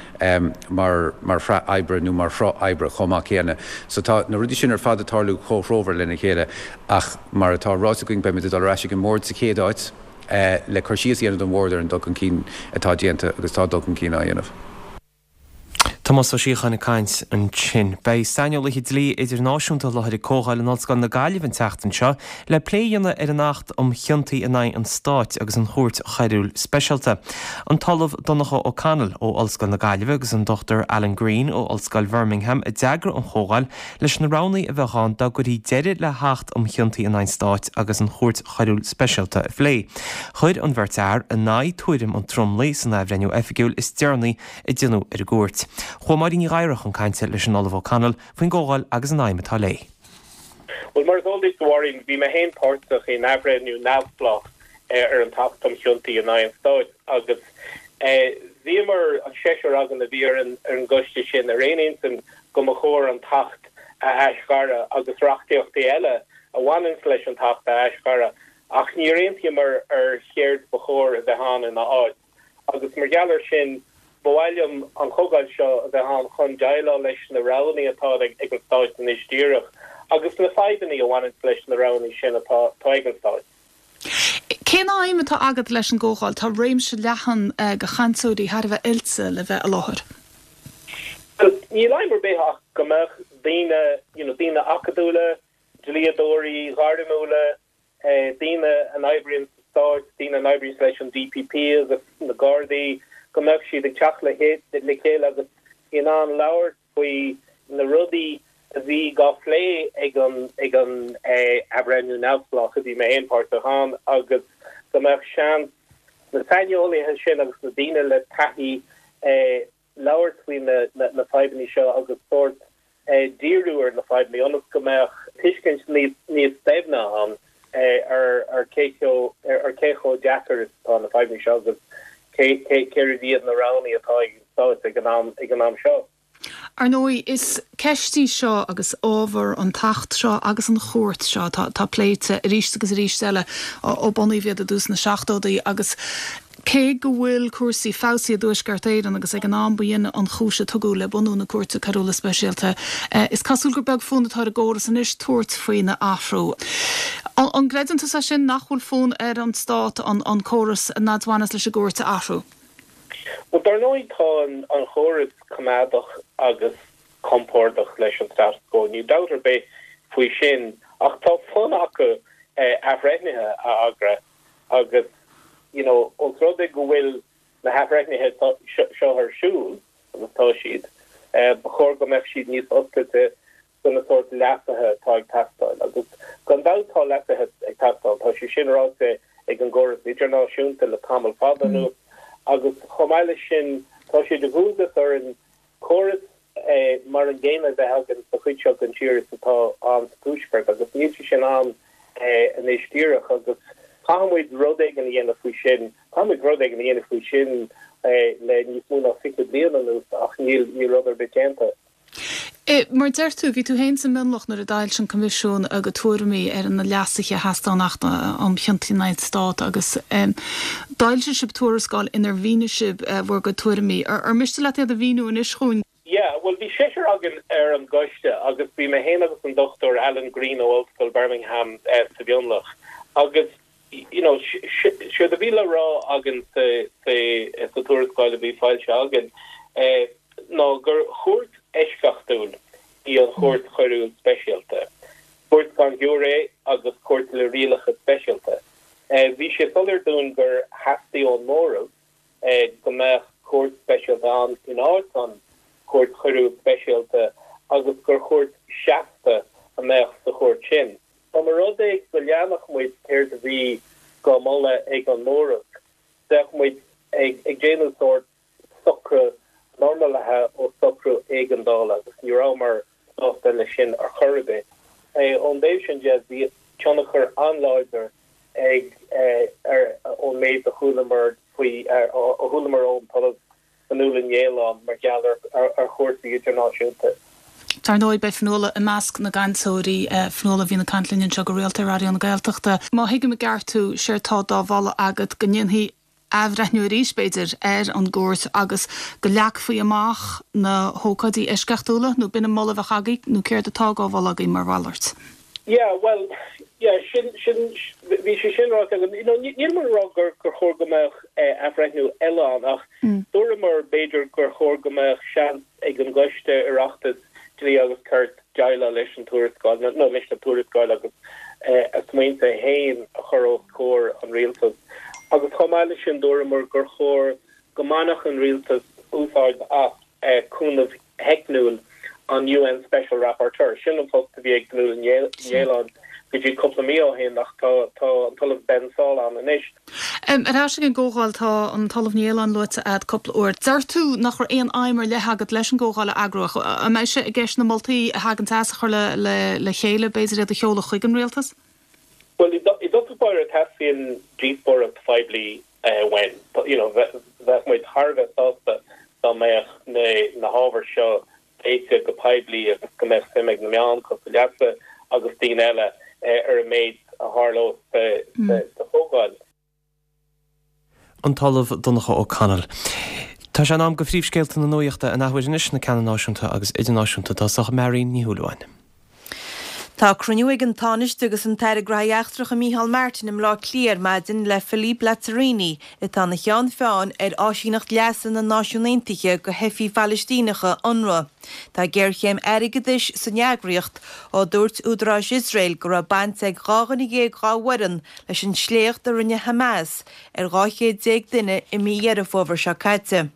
mar, mar shraith oibre nó mar shruth oibre chomh maith céanna. So tá na rudaí sin ar fad ag tarlú comhthreomhar lena chéile ach mar atá ráite againn beimid ag dul ar ais ag an mBord sa chéad áit le cur síos a dhéanamh don Bhord ar an dul chun cinn atá déanta agus tá dul chun cinn á dhéanamh. Tomás Ó Síocháin ag caint ansin. Beidh saineolaithe dlí idirnáisiúnta i láthair ag Comhdháil in Ollscoil na Gaillimhe an tseachtain seo le plé a dhéanamh ar an Acht um Chiontaí in aghaidh an Stáit agus an Chúirt Choiriúil Speisialta. An tOllamh Donncha O'Connell ó Ollscoil na Gaillimhe agus an Dr Alan Green ó Ollscoil Bhirmingham a d'eagraigh an chomhdháil leis na roghanna a bheadh ann dá gcuirfí deireadh le hAcht um Chiontaí in aghaidh an Stáit agus an Chúirt Choiriúil Speisialta a phlé. Chuir an bheirt fhear in aghaidh tuairim an tromlaigh san athbhreithniú oifigiúil is deireanaí a déanadh ar an gcúirt. Chuaigh Máirín Ní Ghadhra chun cainte leis an Ollamh O'Connell faoin gcomhdháil agus an aidhm atá léi. Bhuel, mar is eol duit, a Mháirín, bhí mé féin páirteach in athbhreithniú neamhspleách ar an tAcht um Chiontaí in aghaidh an Stáit agus bhíomar, an seisear againn a bhí ar an gcoiste sin, ar aon intinn go mba chóir an tAcht a aisghaireadh agus reachtaíochtaí eile a bhaineanns leis an tAcht a aisghaireadh ach níor aontaíomar ar chéard ba chóir a bheith ann ina áit agus mar gheall air sin ba mhaith liom an chomhdháil seo a bheith ann chun déileáil leis na roghanna atá ag an Stáit anois díreach agus na fadhbanna a bhaineanns leis na roghanna sin atá ag an Stáit. Cén aidhm atá agat leis an gcomhdháil? Tá réimse leathan de chainteoirí thar a bheith oilte le bheith i láthair. Bhuel, níl aidhm ar bith ach go mbeadh daoine, you know, daoine acadúla, dlíodóirí gairmiúla, daoine a n-oibríonn sa Stáit, daoine a n-oibríonn leis an DPP agus na Gardaí, go mbeadh siad ag teacht le chéile agus in ann labhairt faoi na rudaí a bhí dhá phlé ag an ag an athbhreithniú neamhspleách a bhí mé féin páirteach ann agus go mbeadh seans na saineolaithe sin agus na daoine le taithí labhairt faoi na fadhbanna seo agus sórt díriú ar na fadhbanna ionas go mbeadh tuiscint níos doimhne ann ar cé ar cé chomh deacair is atá na fadhbanna seo agus cé céard iad na roghanna atá ag an Stát ag an am ag an am seo. Ar ndóigh, is ceist í seo agus ábhar an tAcht seo agus an chúirt seo atá pléite arís agus arís eile ó bunaíodh iad i dtús na seachtóidí agus cé go bhfuil cúrsaí feabhsaithe i dTuaisceart Éireann agus ag an am ba shin an chúis a tugadh le bunú na Cúirte Coiriúla Speisialta, is cosúil gur beag fonn atá ar an gcóras anois tabhairt faoina athrú. An gcreideann tusa sin, nach bhfuil fonn ar an Stát an córas a bhaineas leis an gcúirt a athrú? Bhuel, dar ndóigh tá an chóras coimeádach agus compordach leis an status quo, níl dabht ar bith faoi sin, ach tá fonn acu athbhreithnithe a agra agus you know os rud é go bhfuil na hathbhreithnithe seo ar siúl, agus tá siad, ba chóir go mbeadh siad níos oscailte do na sórt leasuithe atá ag teastáil. Agus gan dabht tá leasuithe ag teastáil, tá sé sin ráite ag an gcóras idirnáisiúnta le tamall fada anuas agus chomh maith leis sin tá sé de dhualgas orainn córas mar an gcéanna a bheith againn sa chuid seo den tír is atá ann sa Tuaisceart agus níl sé sin ann anois díreach agus caithfidh muid rud éigin a dhéanamh faoi sin, caithfidh muid rud éigin a dhéanamh faoi sin le níos mó ná 20 bliain anuas ach níl rud ar bith déanta. Mar a deir tú, bhí tú féin sa mhionlach nuair a d'fhoilsigh an Coimisiún a gcuid tuairimí ar na leasuithe a theastaigh ón Acht um Chiontaí in aghaidh an Stáit agus d'fhoilsigh sibh tuarascáil inar mhínigh sibh bhur gcuid tuairimí. Ar mhiste leat iad a mhíniú anois dhúinn? Yeah, bhuel bhí seisear againn ar an gcoiste agus bhí mé féin agus an Dr Alan Green ó Ollscoil Birmingham sa mhionlach agus you know séard a bhí le rá againn sa sa tuarascáil a bhí foilsithe againn ná gur chúirt eisceachtúil í an Chúirt Choiriúil Speisialta. Cúirt gan ghiúiré agus cúirt le rialacha speisialta. Bhí sé soiléir dúinn gur theastaigh ón móramh go mbeadh cúirt speisialta ann in áit an Chúirt Choiriúil Speisialta agus gur chúirt seasta a mbeadh sa chúirt sin. Dá mba rud é go leanfadh muid céard a bhí dhá mholadh ag an móramh, bheadh muid ag déanamh sórt socrú normalaithe ó socrú éigeandála agus ní rabhamar sásta leis sin ar chor ar bith. Ón dtaobh sin de, bhí tionchar an-láidir ag ar ón méid a chualamar faoi a chualamar ón tOllamh Fionnuala Ní Aoláin mar gheall ar chúrsaí idirnáisiúnta. Dar ndóigh, beidh Fionnuala i measc na gcainteoirí. Fionnuala a bhíonn ag caint linn anseo go rialta ar Raidió na Gaeltachta. Má thuigim i gceart thú, séard tá dá mholadh agat go ndéanfaí athbhreithniú arís, b'fhéidir, ar an gcúirt agus go leagfaí amach na hócáidí eisceachtúla, nó b'in an moladh a bheadh agaibh, nó céard atá dhá mholadh agaibh mar mhalairt? Yeah, bhuel, yeah, sin, sin, bhí sé sin ráite agam. You know, nílimid ag rá gur, gur chóir go mbeadh athbhreithniú eile ann ach dúramar b'fhéidir gur chóir go mbeadh seans ag an gCoiste Oireachtais Dlí agus Cirt déileáil leis an tuarascáil, nó leis na tuarascáil agus a smaointe féin a chur os comhair an Rialtais. Agus chomh maith leis sin dúramar gur chóir go mbainfeadh an Rialtas úsáid as cúnamh theicniúil an UN Special Rapporteur. Sin an post a bhí ag Fionnuala Ní Aoláin go dtí cúpla mí ó shin ach tá an tOllamh Ben Saul ann anois. Ar ais ag an gcomhdháil, tá an tOllamh Ní Aoláin luaite a'd cúpla uair. Deir tú nach raibh aon aidhm ar leith agat leis an gcomhdháil a eagrú ach an mbeidh sé i gceist na moltaí a thagann as a chur le chéile, b'fhéidir iad a sheoladh chuig an rialtas? Bhuel, i dtosach báire teastaíonn díospóireacht phoiblí uainn. You know, bheadh muid thar a bheith sásta dá mbeadh na hábhair seo pléite go poiblí agus go mbeadh suim ag na meáin cosúil leatsa agus daoine eile ar an méid a tharlós sa chomhdháil. An tOllamh Donncha O'Connell. Tá sé in am do phríomhscéalta na nuachta an athuair anois, na ceanna náisiúnta agus idirnáisiúnta i dtosach, Marion Ní Shúilleabháin. Tá cruinniú ag an Tánaiste agus an tAire Gnóthaí Eachtracha Micheál Martin i mBleá Cliath ar maidin le Philippe Lazzarini, atá ina cheann feadhain ar Áisíneacht Leasa na Náisiún Aontaithe do Theifigh Phalaistíneacha, Unrwa. Tá géarchéim airgeadais san eagraíocht ó dúirt údaráis Iosrael go raibh baint ag 12 dhuine dá bhfoireann leis an sléacht a rinne Hamas ar 12 chéad duine i mí Dheireadh Fómhair seo caite.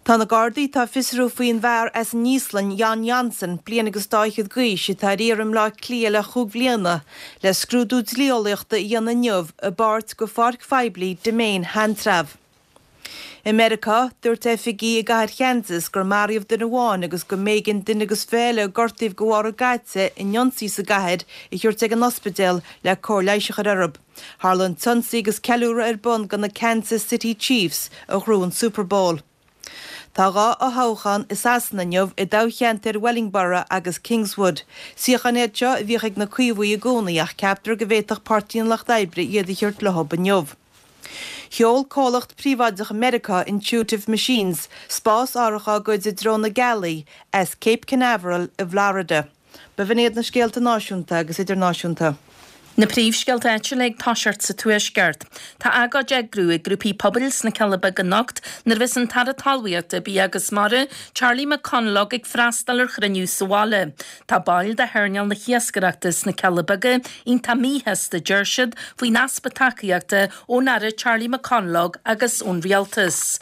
Tá na Gardaí atá ag fiosrú faoin bhfear as an Íoslainn, Jon Jonsson, bliain agus dá fhichead d'aois, atá ar iarraidh i mBleá Cliath le chúig bhliana, le scrúdú dlí-eolaíochta a dhéanamh inniu i bpáirt de pháirc phoiblí Demesne Sheantrabh. I Meiriceá, dúirt oifigigh i gcathair Kansas gur maraíodh duine amháin agus go mb'éigean duine agus 20 eile a gortaíodh de bharr a gcaite in ionsaí sa gcathair a thabhairt ag an ospidéal le cóir leighis a chur orthu. Tharla an t-ionsaí agus ceiliúradh ar bun do na Kansas City Chiefs a ghnóthaigh an Super Bowl. Tá 2 fhothoghchán i Sasana inniu i dtoghcheantair Wellingborough agus Kingswood. Suíocháin iad seo a bhíodh ag na Caomhaigh i gcónaí ach ceaptar go bhféadfadh Páirtí an Lucht Oibre iad a thabhairt leo inniu. Sheol comhlacht príobháideach i Meiriceá, Intuitive Machines, spás-árthach dá gcuid i dtreo na gealaí as Cape Canaveral i bhFlorida. B'in iad na scéalta náisiúnta agus idirnáisiúnta. Na príomhscéalta áitiúla ag toiseacht sa Tuaisceart. Tá agóid á eagrú ag grúpaí pobail sna Cealla Beaga anocht nuair a bheas an tAire Talmhaíochta, Bia agus Mara, Charlie McConalogue ag freastal ar chruinniú sa bhaile. Tá baill de hearnáil na hiascaireachta sna Cealla Beaga iontach míshásta, deir siad, faoin easpa tacaíochta ón Aire Charlie McConalogue agus ón Rialtas.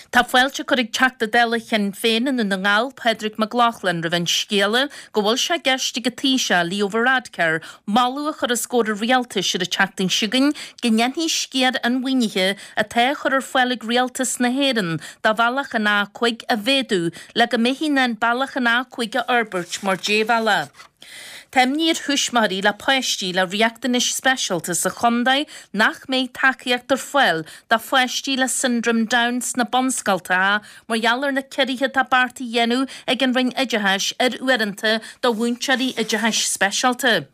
Tá fáilte curtha ag Teachta Dála Shinn Féin i nDún na nGall, Pádraig Mac Lochlainn, roimh an scéala go bhfuil sé i gceist ag an Taoiseach, Leo Varadkar, moladh a chur os comhair an Rialtais ar an tseachtain seo chugainn go ndéanfaí sciar an mhaoinithe atá á chur ar fáil ag Rialtas na hÉireann do bhealach an A5 a mhéadú le go mbeifí in ann bealach an A5 a fhorbairt mar débhealach. Tá imní ar thuismitheoirí le páistí le riachtanais speisialta sa chontae nach mbeidh tacaíocht ar fáil do pháistí le Siondróm Down sna bunscoltacha mar gheall ar na ciorruithe atá beartaithe a dhéanamh ag an Roinn Oideachais ar uaireanta do mhúinteoirí oideachais speisialta.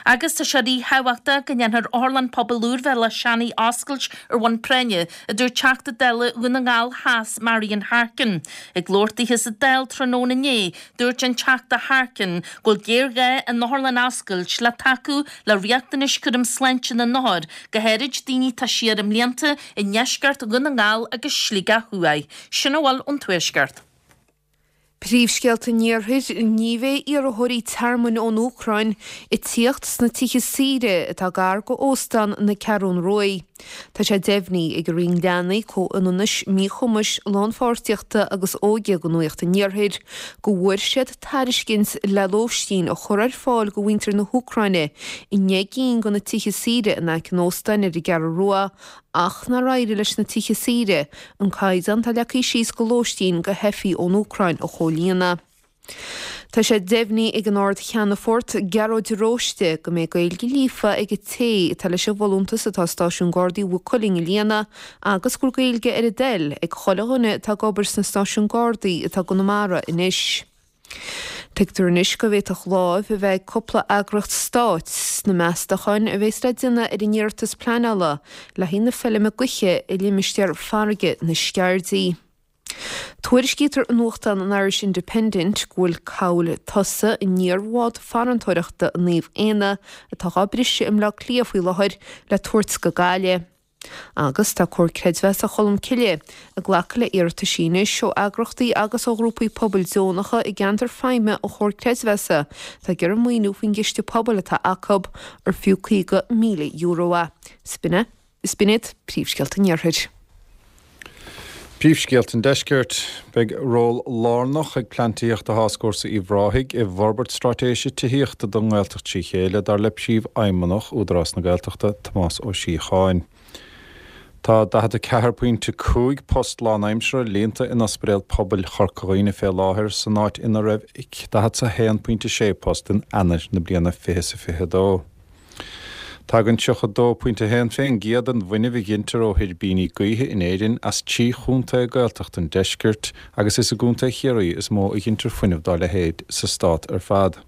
Agus tá sé ríthábhachtach go ndéanfar Otharlann Pobail úr Bhéal Átha Seanaidh a oscailt ar bhonn práinne, a dúirt Teachta Dála Dhún na nGall Theas Marian Harkin. Ag labhairt dithe sa Dáil tráthnóna inné, dúirt an Teachta Harkin go bhfuil géarghá an otharlann a oscailt le tacú le riachtanais cúram sláinte na n-othar, go háirid daoine atá siar i mblianta i ndeisceart Dhún na nGall agus Sligeach Thuaidh. Sin a bhfuil ón Tuaisceart. Príomhscéalta an Iarthair, Ní bheidh iarrthóirí tearmainn ón Úcráin ag tíocht sna tithe saoire atá gar go Óstán na Ceathrún Ruaidh. Tá sé deimhnithe ag an Roinn Leanaí, Comhionannais, Míchumais, Lánpháirtíochta agus Óige do Nuacht an Iarthair go bhfuair siad tairiscint le lóistín a chur ar fáil go mhuintir na hÚcráine i ndeich gcinn de na tithe saoire in aice an óstáin ar an gCeathrú Rua ach nár éirigh leis na tithe saoire an caighdeán atá leagtha síos go lóistín go theifigh ón Úcráin a chomhlíonadh. Tá sé deimhnithe ag an Ard-Cheannfort, Gearóid de Róiste, go mbeidh Gaeilge líofa ag an té atá leis an bhfolúntas atá i Stáisiún Gardaí Mhaigh Cuilinn a líonadh agus go bhfuil Gaeilge ar a dtoil ag chuile dhuine atá ag obair sna stáisiúin Gardaí atá i gConamara anois. Tuigtear anois go bhféadfadh láimh a bheith ag cúpla eagraíocht stáit sna meastacháin a bheas le déanamh ar an iarratas pleanála le haghaidh na feilme gaoithe i limistéar farraige na Sceirdí. Tuairiscítear i nuachtán an Irish Independent go bhfuil cabhail tosaigh an iar-bhád farantóireachta Naomh Éanna atá dhá briseadh i mBleá Cliath faoi láthair le tabhairt go Gaillimh. Agus tá Comhar Creidmheasa Cholmcille ag glacadh le iarrataisí anois ó eagrachtaí agus ó ghrúpaí pobail deonacha i gceantar feidhme an Chomhair Creidmheasa atá ag iarraidh maoiniú faoin gciste pobail atá acu, ar fiú €50,000 é. B'in iad príomhscéalta an Iarthair. Príomhscéalta an Deiscirt. Beidh ról lárnach ag Plean Tithíochta Tháscfhórsa Uíbh Ráthaigh i bhforbairt straitéise tithíochta don nGaeltacht trí chéile, dar le Príomhfheidhmeannach Údarás na Gaeltachta, Tomás Ó Síocháin. Tá 44.5 post lánaimseartha líonta in Ospidéal Pobail Chorca Dhuibhne fé láthair, san áit ina raibh 41.6 post in Eanáir na bliana 2022. Tagann 32.1% den bhfuinneamh a ghintear ó thuirbíní gaoithe in Éirinn as trí chontae Gaeltachta an deiscirt agus is i gContae Chiarraí is mó a ghintear fuinneamh dá leithéid sa stát ar fad.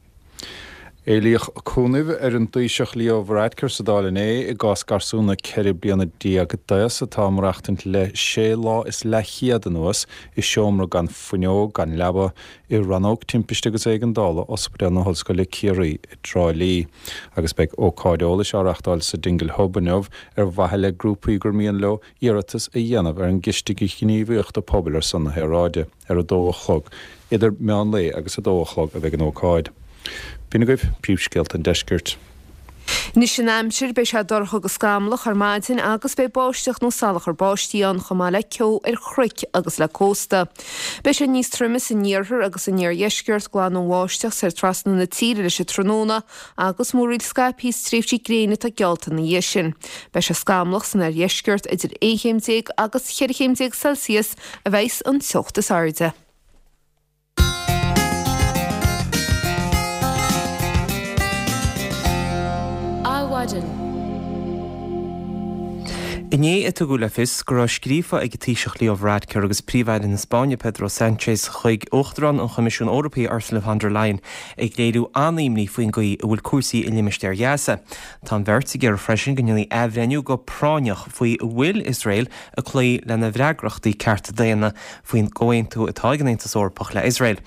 Éilíodh cúnamh ar an dTaoiseach Leo Varadkar sa Dáil inné i gcás garsúna 14 bliana d'aos atá ag maireachtaint le sé lá is leathchéad anuas i seomra gan fuinneog gan leaba i Rannóg Timpiste agus Éigeandála Ospidéal na hOllscoile Ciarraí i dTrá Lí agus beidh ócáid eolais á reachtáil sa Dingle Hub inniu ar mhaithe le grúpaí gur mian leo iarratas a dhéanamh ar an gCiste Gníomhaíochta Pobail ar son na hAeráide ar a dó a chlog. Idir meán lae agus a dó a chlog a bheidh an ócáid. B'in agaibh príomhscéalta an deiscirt. Anois an aimsir, beidh sé dorcha agus scamallach ar maidin agus beidh báisteach nó salachar báistí ann chomh maith le ceo ar chnoic agus le cósta. Beidh sé níos troime san iarthar agus san iardheisceart, glan ón bháisteach soir trasna na tíre leis an tráthnóna agus múraíl scaipthe is tréimhsí gréine atá geallta ina dhiaidh sin. Beidh sé scamallach san oirdheisceart, idir 11 chéim agus 14 chéim Celsius a bheas an teocht is airde. Adhmhaidin. Inné a tugadh le fios go raibh scríofa ag an Taoiseach Leo Varadkar agus Príomh-Aire na Spáinne Pedro Sánchez chuig Uachtarán an Choimisiúin Eorpaigh Ursula von der Leyen ag léiriú an-imní faoin gcaoi a bhfuil cúrsaí i limistéar Ghaza. Tá an bheirt ag iarraidh freisin go ndéanfaí athbhreithniú go práinneach faoi an bhfuil Iosrael ag cloí lena bhfreagrachtaí cearta daonna faoin gcomhaontú atá ag an Aontas Eorpach le Iosrael.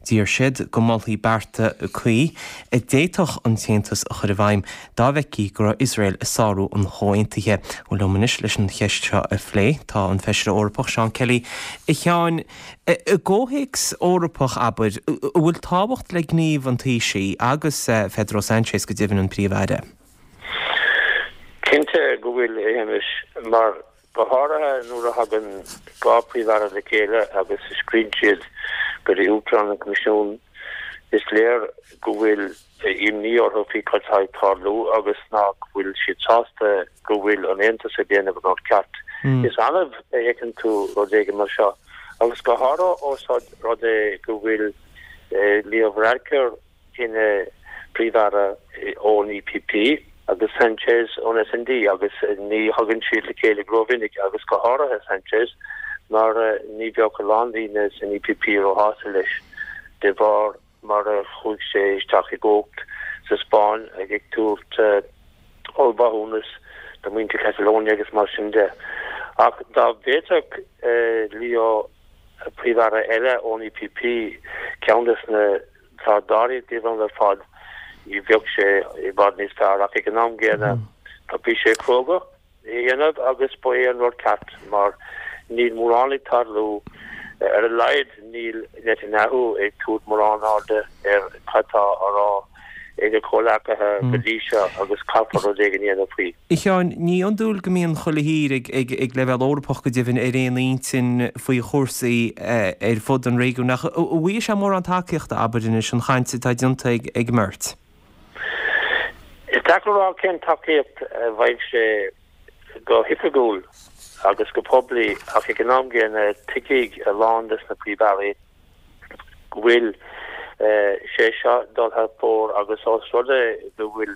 D'iarr siad go molfaí bearta cuí a d'fhéadfadh an tAontas a chur i bhfeidhm dá bhfeicfí go raibh Iosrael ag sárú an chomhaontaithe. Bhuel, liom anois leis an cheist seo a phlé tá an Feisire Eorpach Seán Kelly. A Sheáin, i gcomhthéacs Eorpach, abair, an bhfuil tábhacht le gníomh an Taoisigh agus Pedro Sánchez go deimhin, an Príomh-Aire? Cinnte go bhfuil, a Shéamais, mar Go háirithe nuair a thagann 2 Phríomh-Aire le chéile agus a scríobhann siad go dtí Uachtarán an Choimisiúin, is léir go bhfuil imní orthu faoi cad tá ag tarlú agus nach bhfuil siad sásta go bhfuil an Aontas ag déanamh an rud ceart. Is annamh a fheiceann tú rud éigin mar seo agus go háirithe ós rud é go bhfuil Leo Varadkar ina Phríomh-Aire ón EPP agus Sanchez ón SND agus ní thagann siad le chéile go rómhinic agus go háirithe Sanchez mar ní bheadh a lán daoine san EPP róshásta leis de bharr mar a chuaigh sé isteach i gcumhacht. sa Spáinn ag tabhairt ollmhaithiúnas do mhuintir Catalonia agus mar sin de. Ach dá bhféadfadh Leo Príomh-Aire eile ón EPP, ceann des na atá dáiríre díobh ar fad, bheadh sé i bhfad níos fearr. Ach ag an am gcéanna, bhí sé cróga é a dhéanamh agus ba é an rud ceart mar níl mórán ag tarlú, ar a laghad níl Netanyahu ag tabhairt mórán airde ar cad tá á rá ag a chomhleacaithe go dtí seo agus caithfear rud éigin a dhéanamh faoi. A Sheáin, ní hiondúil go mbíonn chuile thír ag leibhéal Eorpach go deimhin ar aon intinn faoi chúrsaí ar fud an réigiúin ach an bhfaighidh sé mórán tacaíochta, abair anois, an chaint atá déanta ag an mbeirt? Is deacair a rá cén tacaíocht a bhfaighidh sé go hoifigiúil agus go poiblí ach ag an am gcéanna tuigfidh a lán des na Príomh-Airí go bhfuil sé seo dul thar fóir agus ós rud é go bhfuil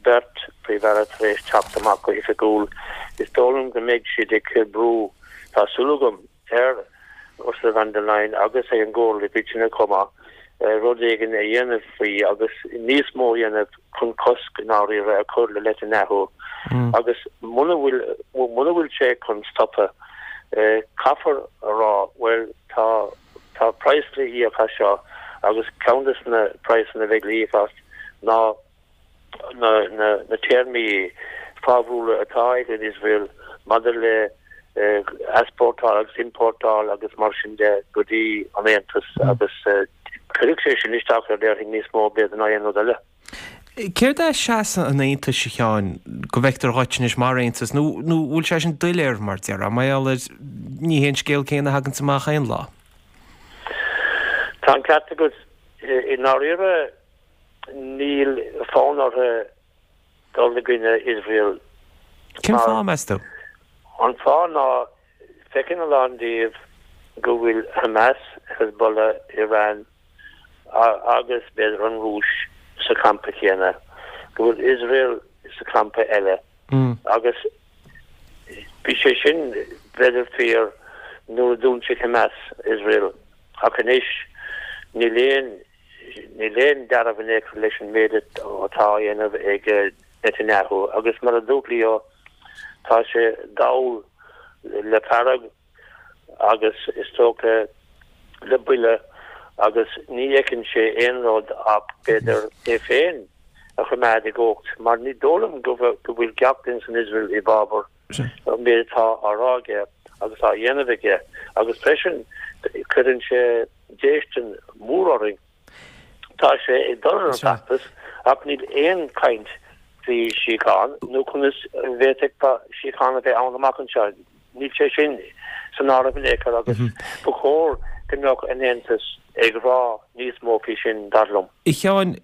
beirt Phríomh-Aire tar éis teacht amach go hoifigiúil is dóigh liom go mbeidh siad ag cur brú, tá súil agam. ar Ursula von der Leyen agus ag an gComhairle i gcoitinne chomh maith, rud éigin a dhéanamh faoi agus níos mó a dhéanamh chun cosc i ndáiríre a chur le Netanyahu agus muna bhfuil, muna bhfuil sé chun stopadh, caithfear a rá, bhuel, tá, tá praghas le híoc as seo agus ceann de na praghsanna a bheidh le híoc as ná na téarmaí fábhrúla atá ag an Iosrael maidir le easpórtáil agus iompórtáil agus mar sin de go dtí an Aontas agus cuirfidh sé sin isteach air déarfainn níos mó b'fhéidir ná aon rud eile. Céard é seasamh an Aontais, a Sheáin, go bhfeictear dhuit anois mar Aontas nó nó bhfuil sé sin doiléir mar déarfá, mar gheall ar ní hé an scéal céanna a thaganns amach aon lá? Tá an ceart agat. I ndáiríre Níl fonn orthu dul i gcoinne Iosrael. Cén fáth, meas tú? An fáth ná feiceann a lán díobh go bhfuil Hamas, Hezbollah, Iran agus b'fhéidir an Rúis sa champa chéanna, go bhfuil Iosrael sa champa eile agus bhí sé sin b'fhéidir fíor nuair a d'ionsaigh Hamas Iosrael ach anois níl aon Níl aon dealramh in aon chor leis an méid atá á dhéanamh ag Netanyahu agus mar a dúirt Leo, tá sé dall le fearg agus is dócha le buile agus ní fheiceann sé aon rud ach b'fhéidir é féin a choimeád i gcumhacht mar ní dóigh liom go bhfuil gach duine san Iosrael i bhfabhar an méid atá á rá aige agus á dhéanamh aige agus freisin cuireann sé déistin mhór orainn. Tá sé ag dul ar an bhfeachtas ach níl aon chaint faoi síocháin nó conas a bhféadfadh síocháin a bheith ann amach anseo. Níl sé sin san áireamh in aon chor agus ba chóir go mbeadh an Aontas ag rá níos mó faoi sin, dar liom. A Sheáin,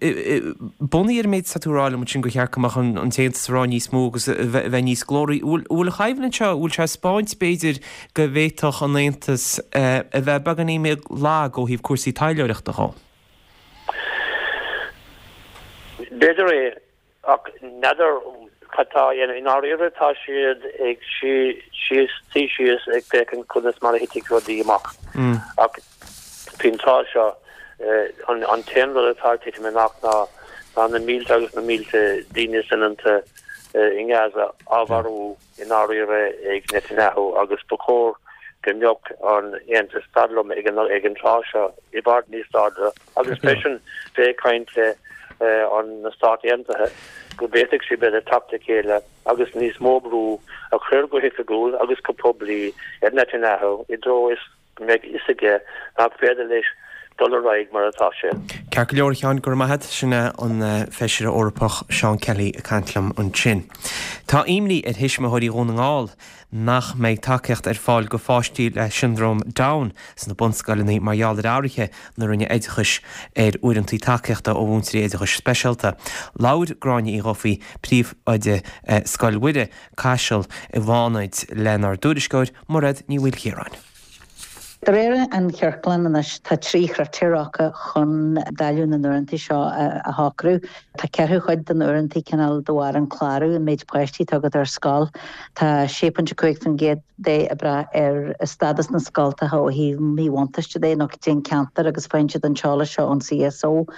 bunaithe ar an méid atá tú a rá liom ansin gur cheart go mbeadh an tAontas ag rá níos mó agus a bheith níos glóraí, an bhfuil an choimhlint seo, an bhfuil sé ag 'spáint b'fhéidir go bhféadfadh an Aontas a bheith beagáinín beag lag ó thaobh cúrsaí taidhleoireachta dhó? B'fhéidir é. Ach n'fheadar cad tá á dhéanamh. I ndáiríre tá siad ag suí síos ag féachaint conas mar a thitfidh rudaí amach. Ach faoin tráth seo, an t-aon rud atá ag titim amach ná ná na mílte agus na mílte daoine soineanta i nGaza á mharú i ndáiríre ag Netanyahu agus ba chóir go mbeadh an Aontas, dar liom, ag an tráth seo i bhfad níos láidre. Agus freisin bheith ag caint le an na Stáit Aontaithe go bhféadfadh siad b'fhéidir teacht le chéile agus níos mó brú a chur go hoifigiúil agus go poiblí ar Netanyahu i dtreo is go mbeidh fhios aige nach féidir leis dul ar aghaidh mar atá sé. Ceart go leor, a Sheáin, go raibh maith agat. Sin é an Feisire Eorpach Seán Kelly ag caint liom ansin. Tá imní ar thuismitheoirí Dhún na nGall nach mbeidh tacaíocht ar fáil go pháistí le Siondróm Down sna bunscoileanna mar gheall ar athruithe na Roinne Oideachais ar uaireanta tacaíochta ó mhúinteoirí oideachais speisialta. Labhair Gráinne Uí Dhufaigh, Príomhoide Scoil Mhuire, Caiseal i bhFánaid lenár dtuairisceoir, Mairéad Ní Mhaoilchiaráin. De réir an chiorcláin anois, tá 3 chritéar acu chun dáileadh na n-uaireanta seo a shocrú. Tá ceathrú chuid de na uaireanta cineál de bharr an clárú, an méid páistí atá agat ar scoil. Tá 6.5% de ag brath ar stádas na scoltacha ó thaobh míbhuntáiste de nó cén ceantar agus faigheann siad an t-eolas seo ón CSO.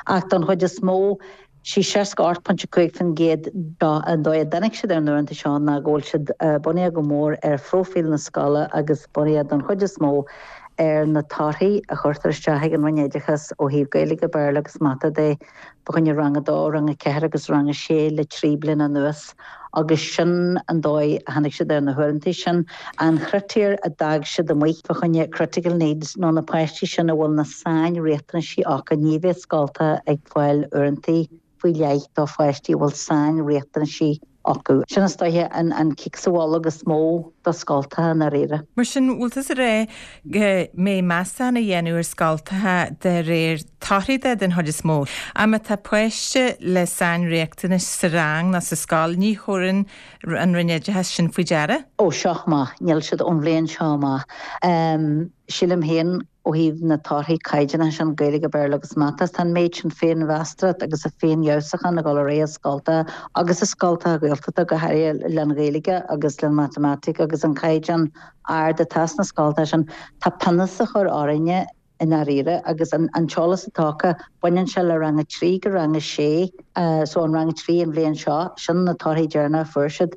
Ach don chuid is mó. Sí 68.5% den dóigh a dtáinig siad ar na huaireanta seo ná go bhfuil siad bunaithe go mór ar phróifíl na scoile agus bunaithe don chuid is mó ar na torthaí a chuirtear isteach ag an Roinn Oideachais ó thaobh Gaeilge, Béarla agus Mata de fá choinne Rang 2, Rang 4 agus Rang 6 le 3 bliana anuas agus sin an dóigh a tháinig siad ar na huaireanta sin. An chritéar a d'fhág siad amuigh fá choinne critical needs nó na páistí sin a bhfuil na sainriachtanaisí acu, ní bheidh scoltacha ag fáil uaireanta faoi leith do pháistí a bhfuil sainriachtanaisí acu. Sin is dóiche an cic sa bholg is mó do scoltacha i ndáiríre. Mar sin, bhfuil tusa ag rá go mbeidh meastachán á dhéanamh ar scoltacha de réir torthaí de den chuid is mó? Ach má tá páiste le sainriachtanais sa rang nó sa scoil, ní thabharann an Roinn Oideachais sin faoi deara? Ó seo amach, níl siad ón bhliain seo amach. Sílim féin ó thaobh na torthaí caighdeánacha sin, Gaeilge, Béarla agus Mata, tá an méid sin féinmheastóireacht agus féinfheabhsúchán ag dul ar aghaidh i scoltacha agus i scoltacha Gaeltachta go háirithe len Ghaeilge agus len Matamaitic agus an caighdeán ard atá sna scoltacha sin. Tá pionós á chur orainne i ndáiríre agus an t-eolas atá acu, baineann sé le rang 3 go rang 6. So an rang 3 an bhliain seo, sin na torthaí deireanacha a fuair siad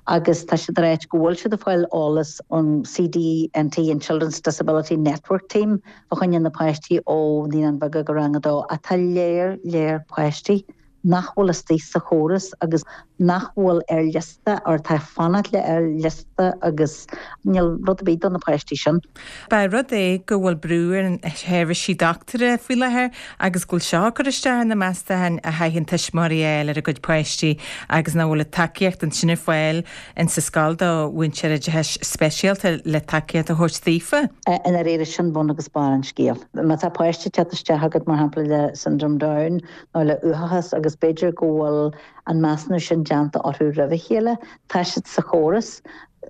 agus tá siad ag ráit go bhfuil siad ag fáil eolas ón CDNT, an Children's Disability Network Team, fá choinne na páistí ó Naíonáin Bheaga go rang 2 ach tá léar léar páistí nach bhfuil istigh sa chóras agus nach bhfuil ar liosta or atá ag fanacht le ar liosta agus níl rud ar bith do na páistí sin. Pé rud é go bhfuil brú ar na seirbhísí dochtúra faoi láthair agus go bhfuil seo ag cur isteach ar na meastacháin a chaitheann tuismitheoirí a fháil ar a gcuid páistí agus nach bhfuil an tacaíocht ansin ar fáil in sa scoil do mhúinteoir oideachais speisialta le tacaíocht a thabhairt daofa. I ndáiríre, sin bun agus barr an scéil. Má tá páiste ag teacht isteach agat, mar shampla, le Syndrome Down nó le uathachas agus b'fhéidir go bhfuil an measúnú sin déanta orthu roimh a chéile, tá siad sa chóras.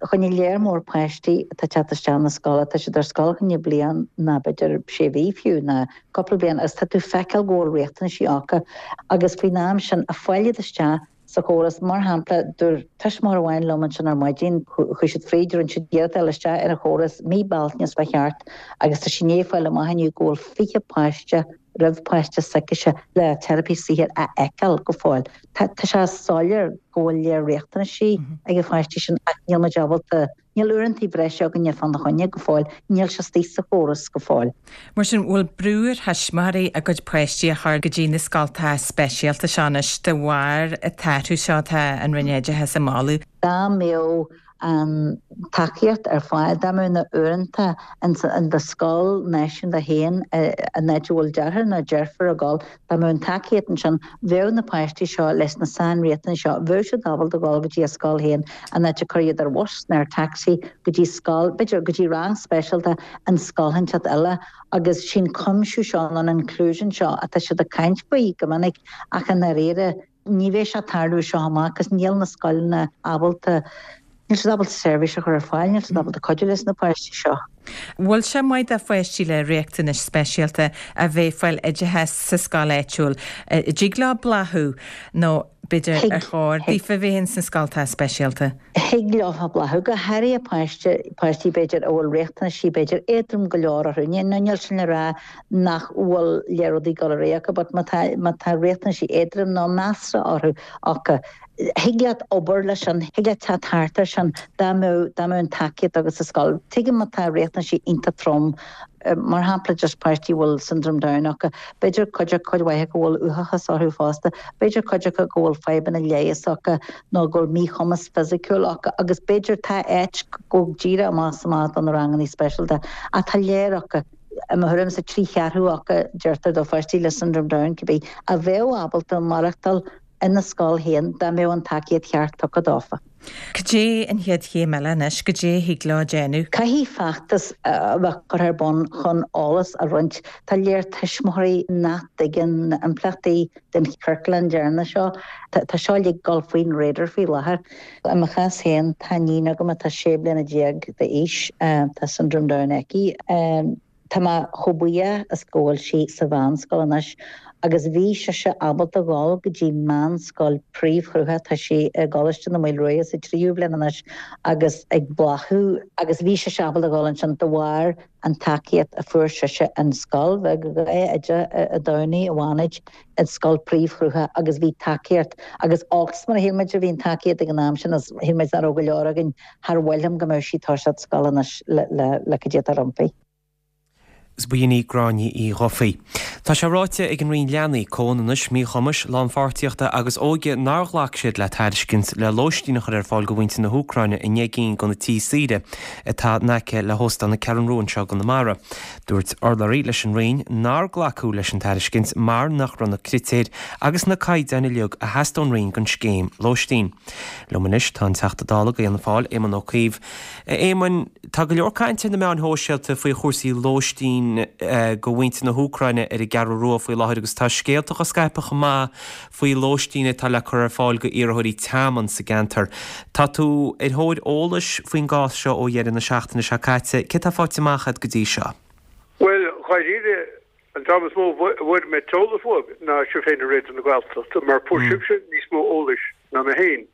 Choinne léar mór páistí atá ag teacht isteach na scoile, tá siad ar scoil choinne bliain ná b'fhéidir sé mhí fiú, ná cúpla bliain agus tá tú feiceáil go bhfuil riachtanaisí acu agus faoin am sin a fáil iad isteach sa chóras. Mar shampla, dúirt tuismitheoir amháin liom ansin ar maidin, chuaigh siad fríd, rinne siad iarracht a fháil isteach ar an chóras mí Bealtaine is ba cheart agus tá sí i ndiaidh fáil amach inniu go bhfuil 20 páiste roimh páiste s'aicise le teiripí saothair a fheiceáil go fóill. Tá sé soiléir go bhfuil léar riachtanaisí ag na páistí sin ach níl muid ábalta, níl uaireanta breise againne fána choinne go fóill, níl sé istigh sa chóras go fóill. Mar sin, bhfuil brú ar thuismitheoirí a gcuid páistí a chur go dtí na scoltacha speisialta seo anois de bharr an t-athrú seo atá an Roinn Oideachais ag moladh? Dá mbeadh an tacaíocht ar fáil dá mbeadh na uaireanta in do scoil náisiúnta féin an áit a bhfuil deartháir nó deirfiúr ag dul, dá mbeadh an tacaíocht ansin, bheadh na páistí seo leis na sainriachtanais seo, bheadh siad ábalta dul go dtí a scoil féin in áit a cur iad ar bhus nó ar taxi go dtí scoil, b'fhéidir go dtí rang speisialta in scoil inteacht eile agus sin cuimsiú seo nó an inclusion seo atá siad ag caint faoi go minic ach i ndáiríre Ní bheidh sé ag tarlú as seo amach agus níl na scoileanna ábalta, níl siad ábalta seirbhís a chur ar fáil, níl siad ábalta cuidiú leis na páistí seo. Bhfuil sé maith do pháistí le riachtanais speisialta a bheith ag fáil oideachas sa scoil áitiúil? An dtig leo bláthú nó b'fhéidir ar chóir daofa bheith ins na scoltacha speisialta? Thig leo bláthú, go háirithe páiste, páistí b'fhéidir a bhfuil riachtanaisí b'fhéidir éadrom go leor orthu. Níl sin le rá nach bhfuil léar rudaí ag dul ar aghaidh acu but má tá, má tá riachtanaisí éadrom nó measartha orthu, acu, thig leat obair leis sin, thig leat teacht thart air sin dá mbeadh, dá mbeadh an tacaíocht agat sa scoil. Tuigim má tá riachtanaisí iontach trom, mar shampla just páistí a bhfuil Syndrome Down acu, b'fhéidir cuid acu, cuid mhaith acu a bhfuil uathachas orthu fosta, b'fhéidir cuid acu go bhfuil fadhbanna leighis acu nó go bhfuil míchumas fisiciúil acu agus b'fhéidir tá áit go díreach amach is amach do na ranganna speisialta ach tá léar acu. I mo thuairimse, 3/4 acu, deirtear do pháistí le Syndrome Down cibé, a bheadh ábalta maireachtáil ina scoil féin dá mbeadh an tacaíocht cheart tugtha dófa. Cad é an chéad chéim eile anois? Cad é a thig leo déanamh? Caithfidh feachtas a bheith curtha ar bun chun eolas a roinnt. Tá léar tuismitheoirí nach dtuigeann na impleachtaí den chiorclán deireanach seo. Tá seo uilig ag dul faoin radar faoi láthair. I mo chás féin, tá iníon agam atá 16 bliana d'aois, tá Syndrome Down aici. Tá mé chomh buíoch is go bhfuil sí sa mheánscoil anois. Agus bhí sise ábalta dhul go dtí meánscoil príomhshrutha, tá sí i gColáiste na Maoile Ruaidhe sa tríú bliain anois agus ag bláthú, agus bhí sise ábalta dhul ansin de bharr an tacaíocht a fuair sise in scoil bheag oide i dTamhnaigh, i bhFánaid, i scoil príomhshrutha agus bhí tacaíocht agus olcas mar a shíl muid a bhí an tacaíocht ag an am sin is shíl muid nach raibh go leor againn, char mhaith liom go mbeadh sí ag toiseacht scoil anois le le cad é atá roimpi. Is ba shin í Gráinne Uí Dhufaigh. Tá sé ráite ag an Roinn Leanaí, Comhionannais, Míchumais, Lánpháirtíochta agus Óige nár ghlac siad le tairiscint le lóistín a chur ar fáil do mhuintir na hÚcráine i ndeich gcinn de na tithe saoire atá in aice le hÓstán na Ceathrún Rua anseo i gConamara. Dúirt urlabhraí leis an Roinn nár glacadh leis an tairiscint mar nach raibh na critéir agus na caighdeáin uilig a theastaigh ón Roinn don scéim lóistín. Liom anois tá an Teachta Dála do Fhianna Fáil, Éamon Ó Cuív. A Éamoin, tá go leor cainte ar na meáin shóisialta faoi chúrsaí lóistín do mhuintir na hÚcráine ar an gCeathrú Rua faoi láthair agus tá scéalta á scaipeadh chomh maith faoi lóistín atá le cur ar fáil do iarrthóirí tearmainn sa gceantar. Tá tú ar thóir eolais faoin gcás seo ó dheireadh na seachtaine seo caite. Céard atá faighte amach agat go dtí seo? Bhuel, dháiríre, an dream is mó a bhfuair mé t-eolas uaidh ná sibh féin i Raidió na Gaeltachta, mar fuair sibhse níos mó eolais ná mé féin.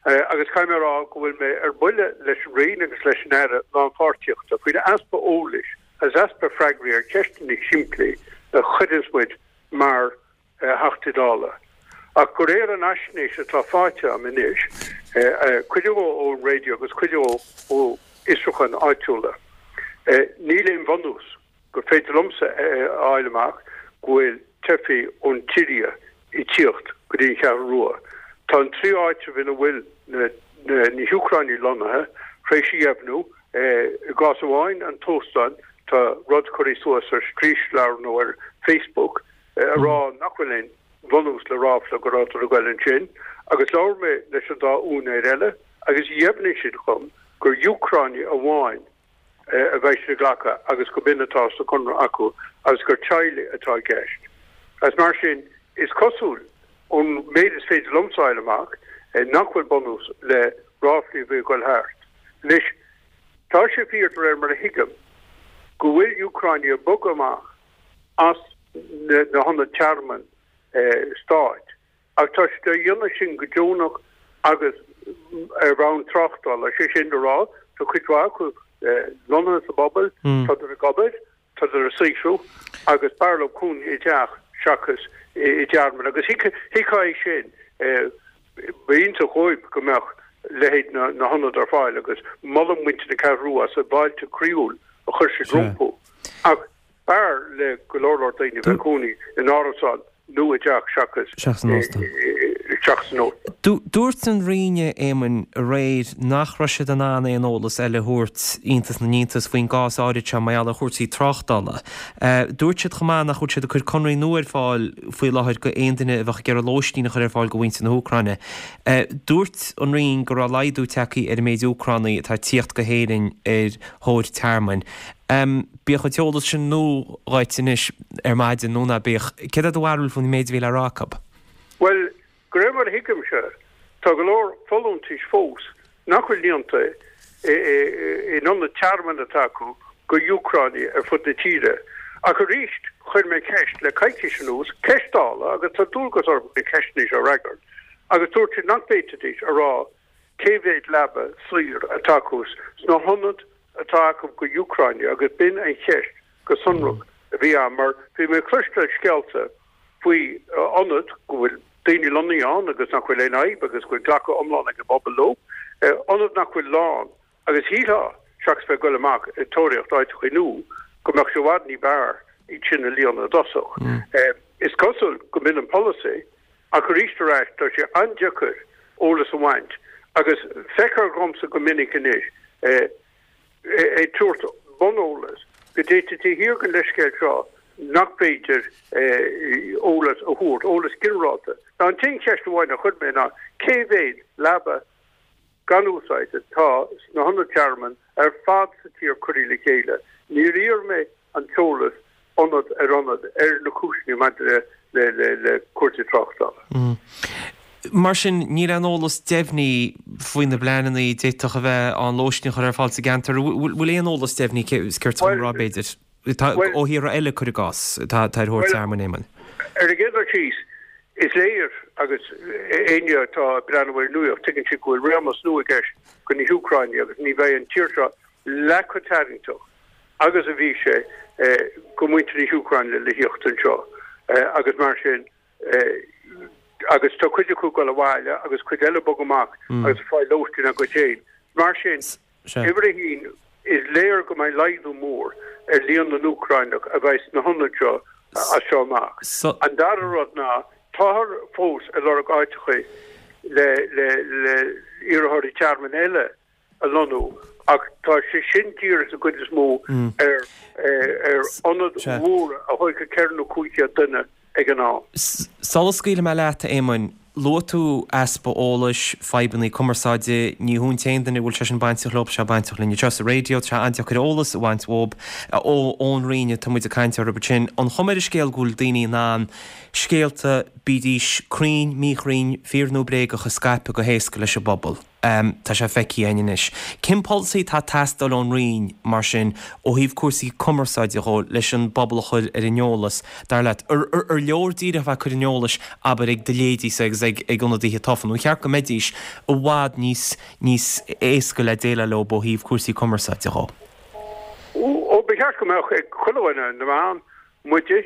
Agus caithfidh mé a rá go bhfuil mé ar buile leis an Roinn agus leis an Aire Lánpháirtíochta faoin easpa eolais agus easpa freagraí ar cheisteanna simplí a chuireanns muid mar Theachtaí Dála. Ach de réir an fhaisnéis atá faighte agam anois, cuid dhó ón raidió agus cuid dhó ó fhiosrúcháin áitiúla, níl aon bhunús gur féidir liomsa a fháil amach go bhfuil teifigh ón tSiria ag tíocht go dtí an Cheathrú Rua. Tá an trí áitreabh ina bhfuil na hÚcránaigh lonnaithe tar éis a dheimhniú, i gcás amháin, an t-óstán, tá rud curtha suas ar straoisleabhar nó ar Facebook a rá nach bhfuil aon bhunús le ráfla go rabhadar ag goil ansin, agus labhair mé leis an dá úinéir eile agus dheimhnigh siad dhom gur Úcránaigh amháin a bheidh siad ag glacadh agus go b'in atá sa chonradh acu agus gur teaghlaigh atá i gceist. Agus mar sin, is cosúil, ón méid is féidir liomsa a fháil amach, nach bhfuil bunús le ráflaí a bhí ag goil thart. Anois, tá sé fíor, de réir mar a thuigim, go bhfuil Úcránaigh ag bogadh amach as na hionaid tearmainn stáit. Ach tá siad á dhéanamh sin go deonach agus ar bhonn tráchtála, sé sin le rá, tá cuid mhaith acu lonnaithe sa bpobal, tádar ag obair, tádar ag saothrú agus b'fhearr leo cónaí i dteach seachas i dtearmann. Agus thuigfeá é sin, b'iontach dhóibh go mbeadh leithéid na hionad ar fáil agus molaim muintir na Ceathrún Rua as an bhfáilte croíúil a chuir siad rompu. Ach B'fhearr le go leor leor daoine bheith ag cónaí in árasán nó i dteach seachas in óstán. Seachas in óstán. Dúirt an Roinn, a Éamoin, aréir nach raibh siad in ann aon eolas eile a thabhairt, iontas na n-iontas, faoin gcás áirid seo mar gheall ar chúrsaí tráchtála. Dúirt siad chomh maith nach bhfuil siad ag cur conraí nua ar fáil faoi láthair go aon duine a bheadh ag iarraidh lóistín a chur ar fáil go mhuintir na hÚcráine. Dúirt an Roinn go raibh laghdú tagtha ar an méid Úcránaigh atá ag tíocht go hÉirinn ar thóir tearmainn. Bíodh an t-eolas sin nua dhuit anois ar maidin nó ná bíodh, céard é do bharúil faoin méid a bhí le rá acu? Bhuel, de réir mar a thuigimse, tá go leor folúntais fós nach bhfuil líonta in ionaid tearmainn atá acu go Úcránaigh ar fud na tíre. Ach arís, chuir mé ceist le coicís anuas, ceist Dála, agus tá dualgas orm na ceisteanna seo a fhreagairt, agus dúirt siad nach bhféadfaidís a rá cé mhéad leaba saor atá acu sna hionaid atá acu go Úcránaigh agus b'in an cheist go sonrach a bhí ann mar bhí mé ag cloisteáil scéalta faoi ionad go bhfuil daoine lonnaithe ann agus nach bhfuil aon fhadhb agus go bhfuil glacadh iomlán ag an bpobal leo, ionad nach bhfuil lán agus shílfeá, seachas bheith ag goil amach ag tóraíocht áiteachaí nua, go mbeadh sé i bhfad ní b'fhearr iad sin a líonadh i dtosach. Is cosúil go mb'in an polasaí Ach arís ar ais, tá sé an-deacair eolas a bhaint agus feictear dhomsa go minic anois ag tabhairt buneolas go dtéite taobh thiar den leithscéal seo nach féidir eolas a thabhairt, eolas ginearálta. Now an t-aon cheist amháin a chuir mé ná cé mhéad leaba gan úsáid atá sna hionaid tearmainn ar fad sa tír curtha le chéile. Níor iarr mé an t-eolas ionad ar ionad ar na cúiseanna maidir le cúrsaí tráchtála. Mar sin, níl aon eolas deimhní faoi na bpleananna a d'fhéadfadh a bheith ann lóistín a chur ar fáil sa gceantar. Bhfuil aon eolas deimhní, is céard tá a rá, b'fhéidir, ó thíortha eile, cuir i gcás, atá ar thóir tearmainn, Éamonn? Ar an gcéad dul síos, is léir, agus éinne atá ag breathnú ar an nuaíocht, tuigeann siad go bhfuil réimeas nua i gceist do na hÚcráinigh agus ní bheidh an tír seo leath chomh tarraingteach agus a bhí sé do mhuintir na hÚcráine le thíocht anseo agus mar sin agus tá cuid acu ag dul abhaile agus cuid eile ag bogadh amach agus ag fáil lóistín acu féin. Mar sin, uimhir a haon, is léir go mbeidh laghdú mór ar líon na nÚcráineach a bheidh sna hionaid seo as seo amach. An dara rud ná, táthar fós ag lorg áiteacha le le iarrthóirí tearmainn eile a lonnú ach tá sé sin dírithe sa gcuid is mó ar ar ionaid mhóra a thógfadh 400 nó 500 duine ag an am. Sula scaoilfidh mé leat, a Éamoinn, luaigh tú easpa eolais, fadhbanna cumarsáide, ní hiontas d'aon duine go bhfuil sé sin bainteach leo, tá sé bainteach linn anseo sa raidió, tá sé an-deacair eolas a bhaint uathub, ón Roinn atá muid ag caint orthu ansin. An chuma ar an scéal go bhfuil daoine in ann scéalta, bídís cruinn, míchruinn, fíor nó bréagach, a scaipeadh go héasca leis an bpobal? Tá sé feicthe againn anois. Cén polasaí atá ag teastáil ón Roinn, mar sin, ó thaobh cúrsaí cumarsáide dhó, leis an bpobal a chur ar an eolas, dar leat? Ar leor díreach a bheith ag cur an eolais, abair, ag do leithéidíse agus ag ionadaithe tofa, nó ar cheart go mbeidís i bhfad níos níos éasca le déileáil leo ó thaobh cúrsaí cumarsáide dhó? Ó, ba cheart go mbeadh ag chuile dhuine, na meáin, muide,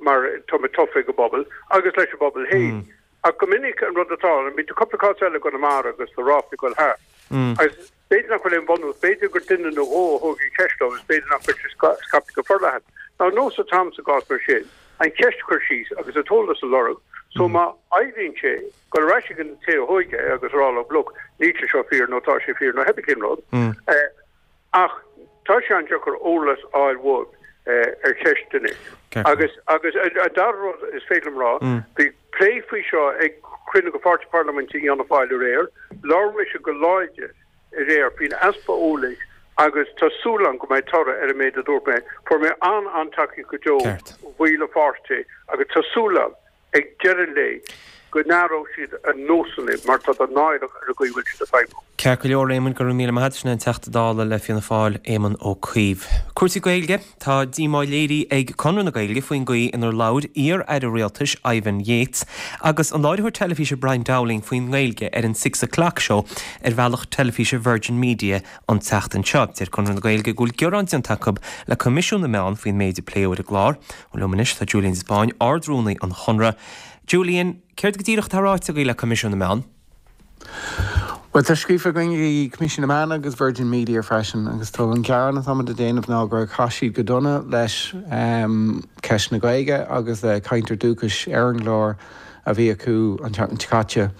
mar tá muid tofa ag an bpobal, agus leis an bpobal féin. Ach go minic an rud atá ann, bhí cúpla cás eile i gConamara agus tá ráflaí ag dul thart. Agus b'fhéidir nach bhfuil aon bhunús, b'fhéidir gur duine nó dhó a thóg an cheist leo agus b'fhéidir nach bhfuil sé scaipthe go forleathan. Now an nós atá ann sa gcás mar sin, an cheist a chur síos agus an t-eolas a lorg, so má éiríonn sé, dul ar ais ag an té a thóig é agus a rá leo, look, níl sé seo fíor nó tá sé fíor nó pé cén rud. Ach tá sé an-deacair eolas a fháil uaidh ar cheisteanna. Agus agus an dara rud is féidir liom rá, bhí plé faoi seo ag cruinniú de Pháirtí Parlaiminte Fhianna Fáil aréir, labhair mise go láidir aréir faoin easpa eolais agus tá súil agam go mbeidh toradh ar an méid a dúirt mé. Fuair mé an-an-tacaíocht go deo ó bhaill an pháirtí agus tá súil agam ag deireadh an lae, go n-athróidh siad a nósanna mar tá siad náireach ar an gcaoi a bhfuil siad ag feidhmiú. Ceart go leor, Éamon, go raibh míle maith agat. Sin é an Teachta Dála le Fianna Fáil, Éamon Ó Cuív. Cúrsaí Gaeilge, Tá díomá léirithe ag Conradh na Gaeilge faoin gcaoi inar labhair iar-aire rialtais Ivan Yates agus an láithreoir teilifíse Brian Dowling faoin nGaeilge ar an Six O'Clock Show ar bhealach teilifíse Virgin Media an tseachtain seo. Deir Conradh na Gaeilge go bhfuil gearán déanta acu le Coimisiún na Meán faoin méid a pléadh ar an gclár. Liom anois tá Julian de Spáinn, Ard-Rúnaí an Chonradh. Julian, céard go díreach atá ráite agaibh le Coimisiún na Meán? Bhuel, tá scríofa againn ag Coimisiún na Meán agus Virgin Media freisin agus tá an gearán atáimid a déanamh ná gur chaith siad go dona leis ceist na Gaeilge agus le cainteoir dúchais ar an gclár a bhí acu an tseachtain seo caite.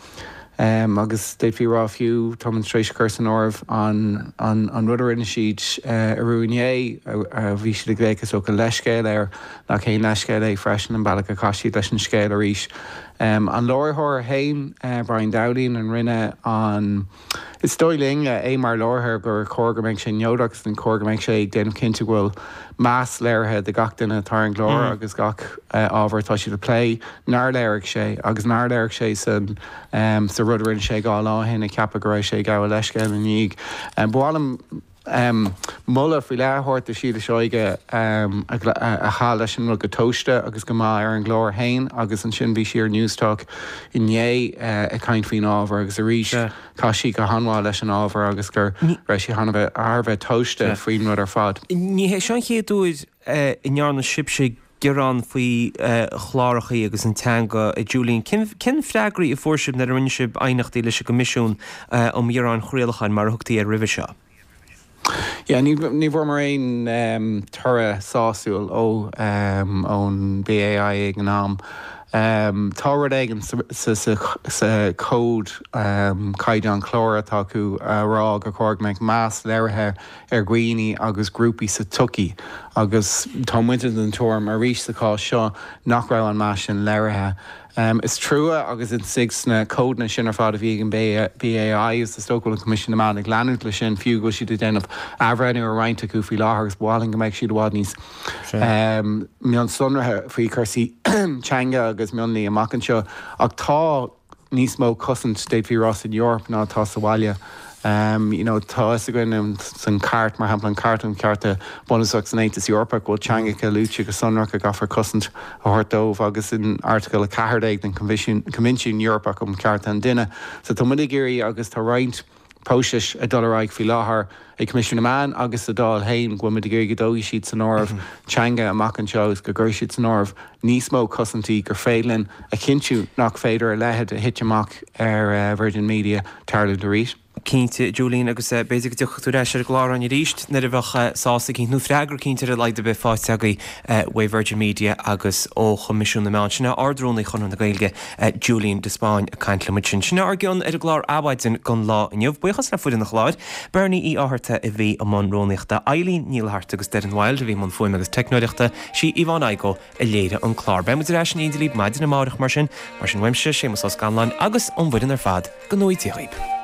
Agus d'fhéadfaí a rá fiú, táimid tar éis cur san áireamh an an rud a rinne siad arú inné, a bhí siad ag glaoch is dócha leithscéal air, nach aon leithscéal é freisin an bealach a chaith siad leis an scéal arís. An láithreoir féin, Brian Dowling, an rinne an. Is dóigh linn, é mar láithreoir, gur chóir go mbeadh sé neodrach agus gur chóir go mbeadh sé ag déanamh cinnte go bhfuil meas léirithe do gach duine atá ar an gclár agus gach ábhar atá siad a plé, nár léirigh sé agus nár léirigh sé san sa rud a rinne sé 2 lá ó shin ag ceapadh go raibh sé ag gabháil leithscéal ina dhiaidh. Ba mhaith liom moladh faoi leith a thabhairt do Shíle Seoige a chaith leis an rud go tomhaiste agus go maith ar an gclár féin agus ansin bhí sí ar Newstalk inné ag caint faoin ábhar agus arís chaith sí go han-mhaith leis an ábhar agus go raibh sí thar a bheith tomhaiste faoin rud ar fad. Ní hé seo an chéad uair a ndearna sibhse gearán faoi chlárachaí agus an teanga, a Julian. Cén freagraí a fuair sibh nuair a rinne sibh aighneachtaí leis an gCoimisiún um Ghearáin Chraolacháin, mar a thugtaí air roimhe seo? Yeah, ní bhfuaireamar aon toradh sásúil ó ón BAI ag an am. Tá rud éigin sa chód caighdeán clár atá acu a rá gur chóir go mbeadh meas léirithe ar dhaoine agus grúpaí sa tsochaí agus tá muide den tuairim arís sa chás seo nach raibh an meas sin léirithe. Is trua agus istigh sna códanna sin ar fad a bhí ag an BAI agus is dócha go bhfuil an Coimisiún na Meán ag leanúint leis sin fiú go bhfuil siad ag déanamh athbhreithniú ar roinnt acu faoi láthair agus ba mhaith linn go mbeadh siad i bhfad níos mionsonraithe faoi chúrsaí teanga agus mionlaigh amach anseo ach tá níos mó cosaint, d'fhéadfaí a rá, san Eoraip ná atá sa bhaile. You know, tá fhios againn san Chairt, mar shampla, an Chairt um Chearta Bunúsach san Aontas Eorpach, go bhfuil teangacha luaite go sonrach a gcaithfear cosaint a thabhairt dóibh agus in Airteagal 14 den Coinbhinsiún Eorpach um Chearta an Duine. So tá muid ag iarraidh agus tá roinnt próisis ag dul ar aghaidh faoi láthair ag Coimisiún na Meán agus sa Dáil féin go bhfuil muid ag iarraidh go dtógfaidh siad san áireamh teanga amach anseo agus go gcuirfidh siad san áireamh níos mó cosaintí gur féidir linn a chinntiú nach féidir a leithéid a thit amach ar Virgin Media tarlúint arís. Cinnte, Julian, agus b'fhéidir go dtiocfadh tú ar ais ar an gclár againn arís nuair a bheadh sásamh eicínt, nó freagra eicínt ar a laghad ar bith faighte agaibh uaidh Virgin Media agus ó Choimisiún na Meán. Sin é Ard-Rúnaí Chonradh na Gaeilge, Julian de Spáinn ag caint le muid sin. Sin é ár gcion ar an gclár Adhmhaidin don lá inniu. Buíochas le foireann an chláir, Bernie Uí Fhátharta a bhí i mbun rúnaíochta, Eileen Ní Fhlatharta agus Doireann Wilde a bhí i mbun fuaime agus teicneoireachta, sí Yvonne Igoe a léirigh an clár. Beidh muid ar ais in éindí libh maidin amárach mar sin. Mar sin uaimse, Séamus Ó Scanláin agus ón bhfoireann ar fad, go ngnóthaí Dia dhaoib.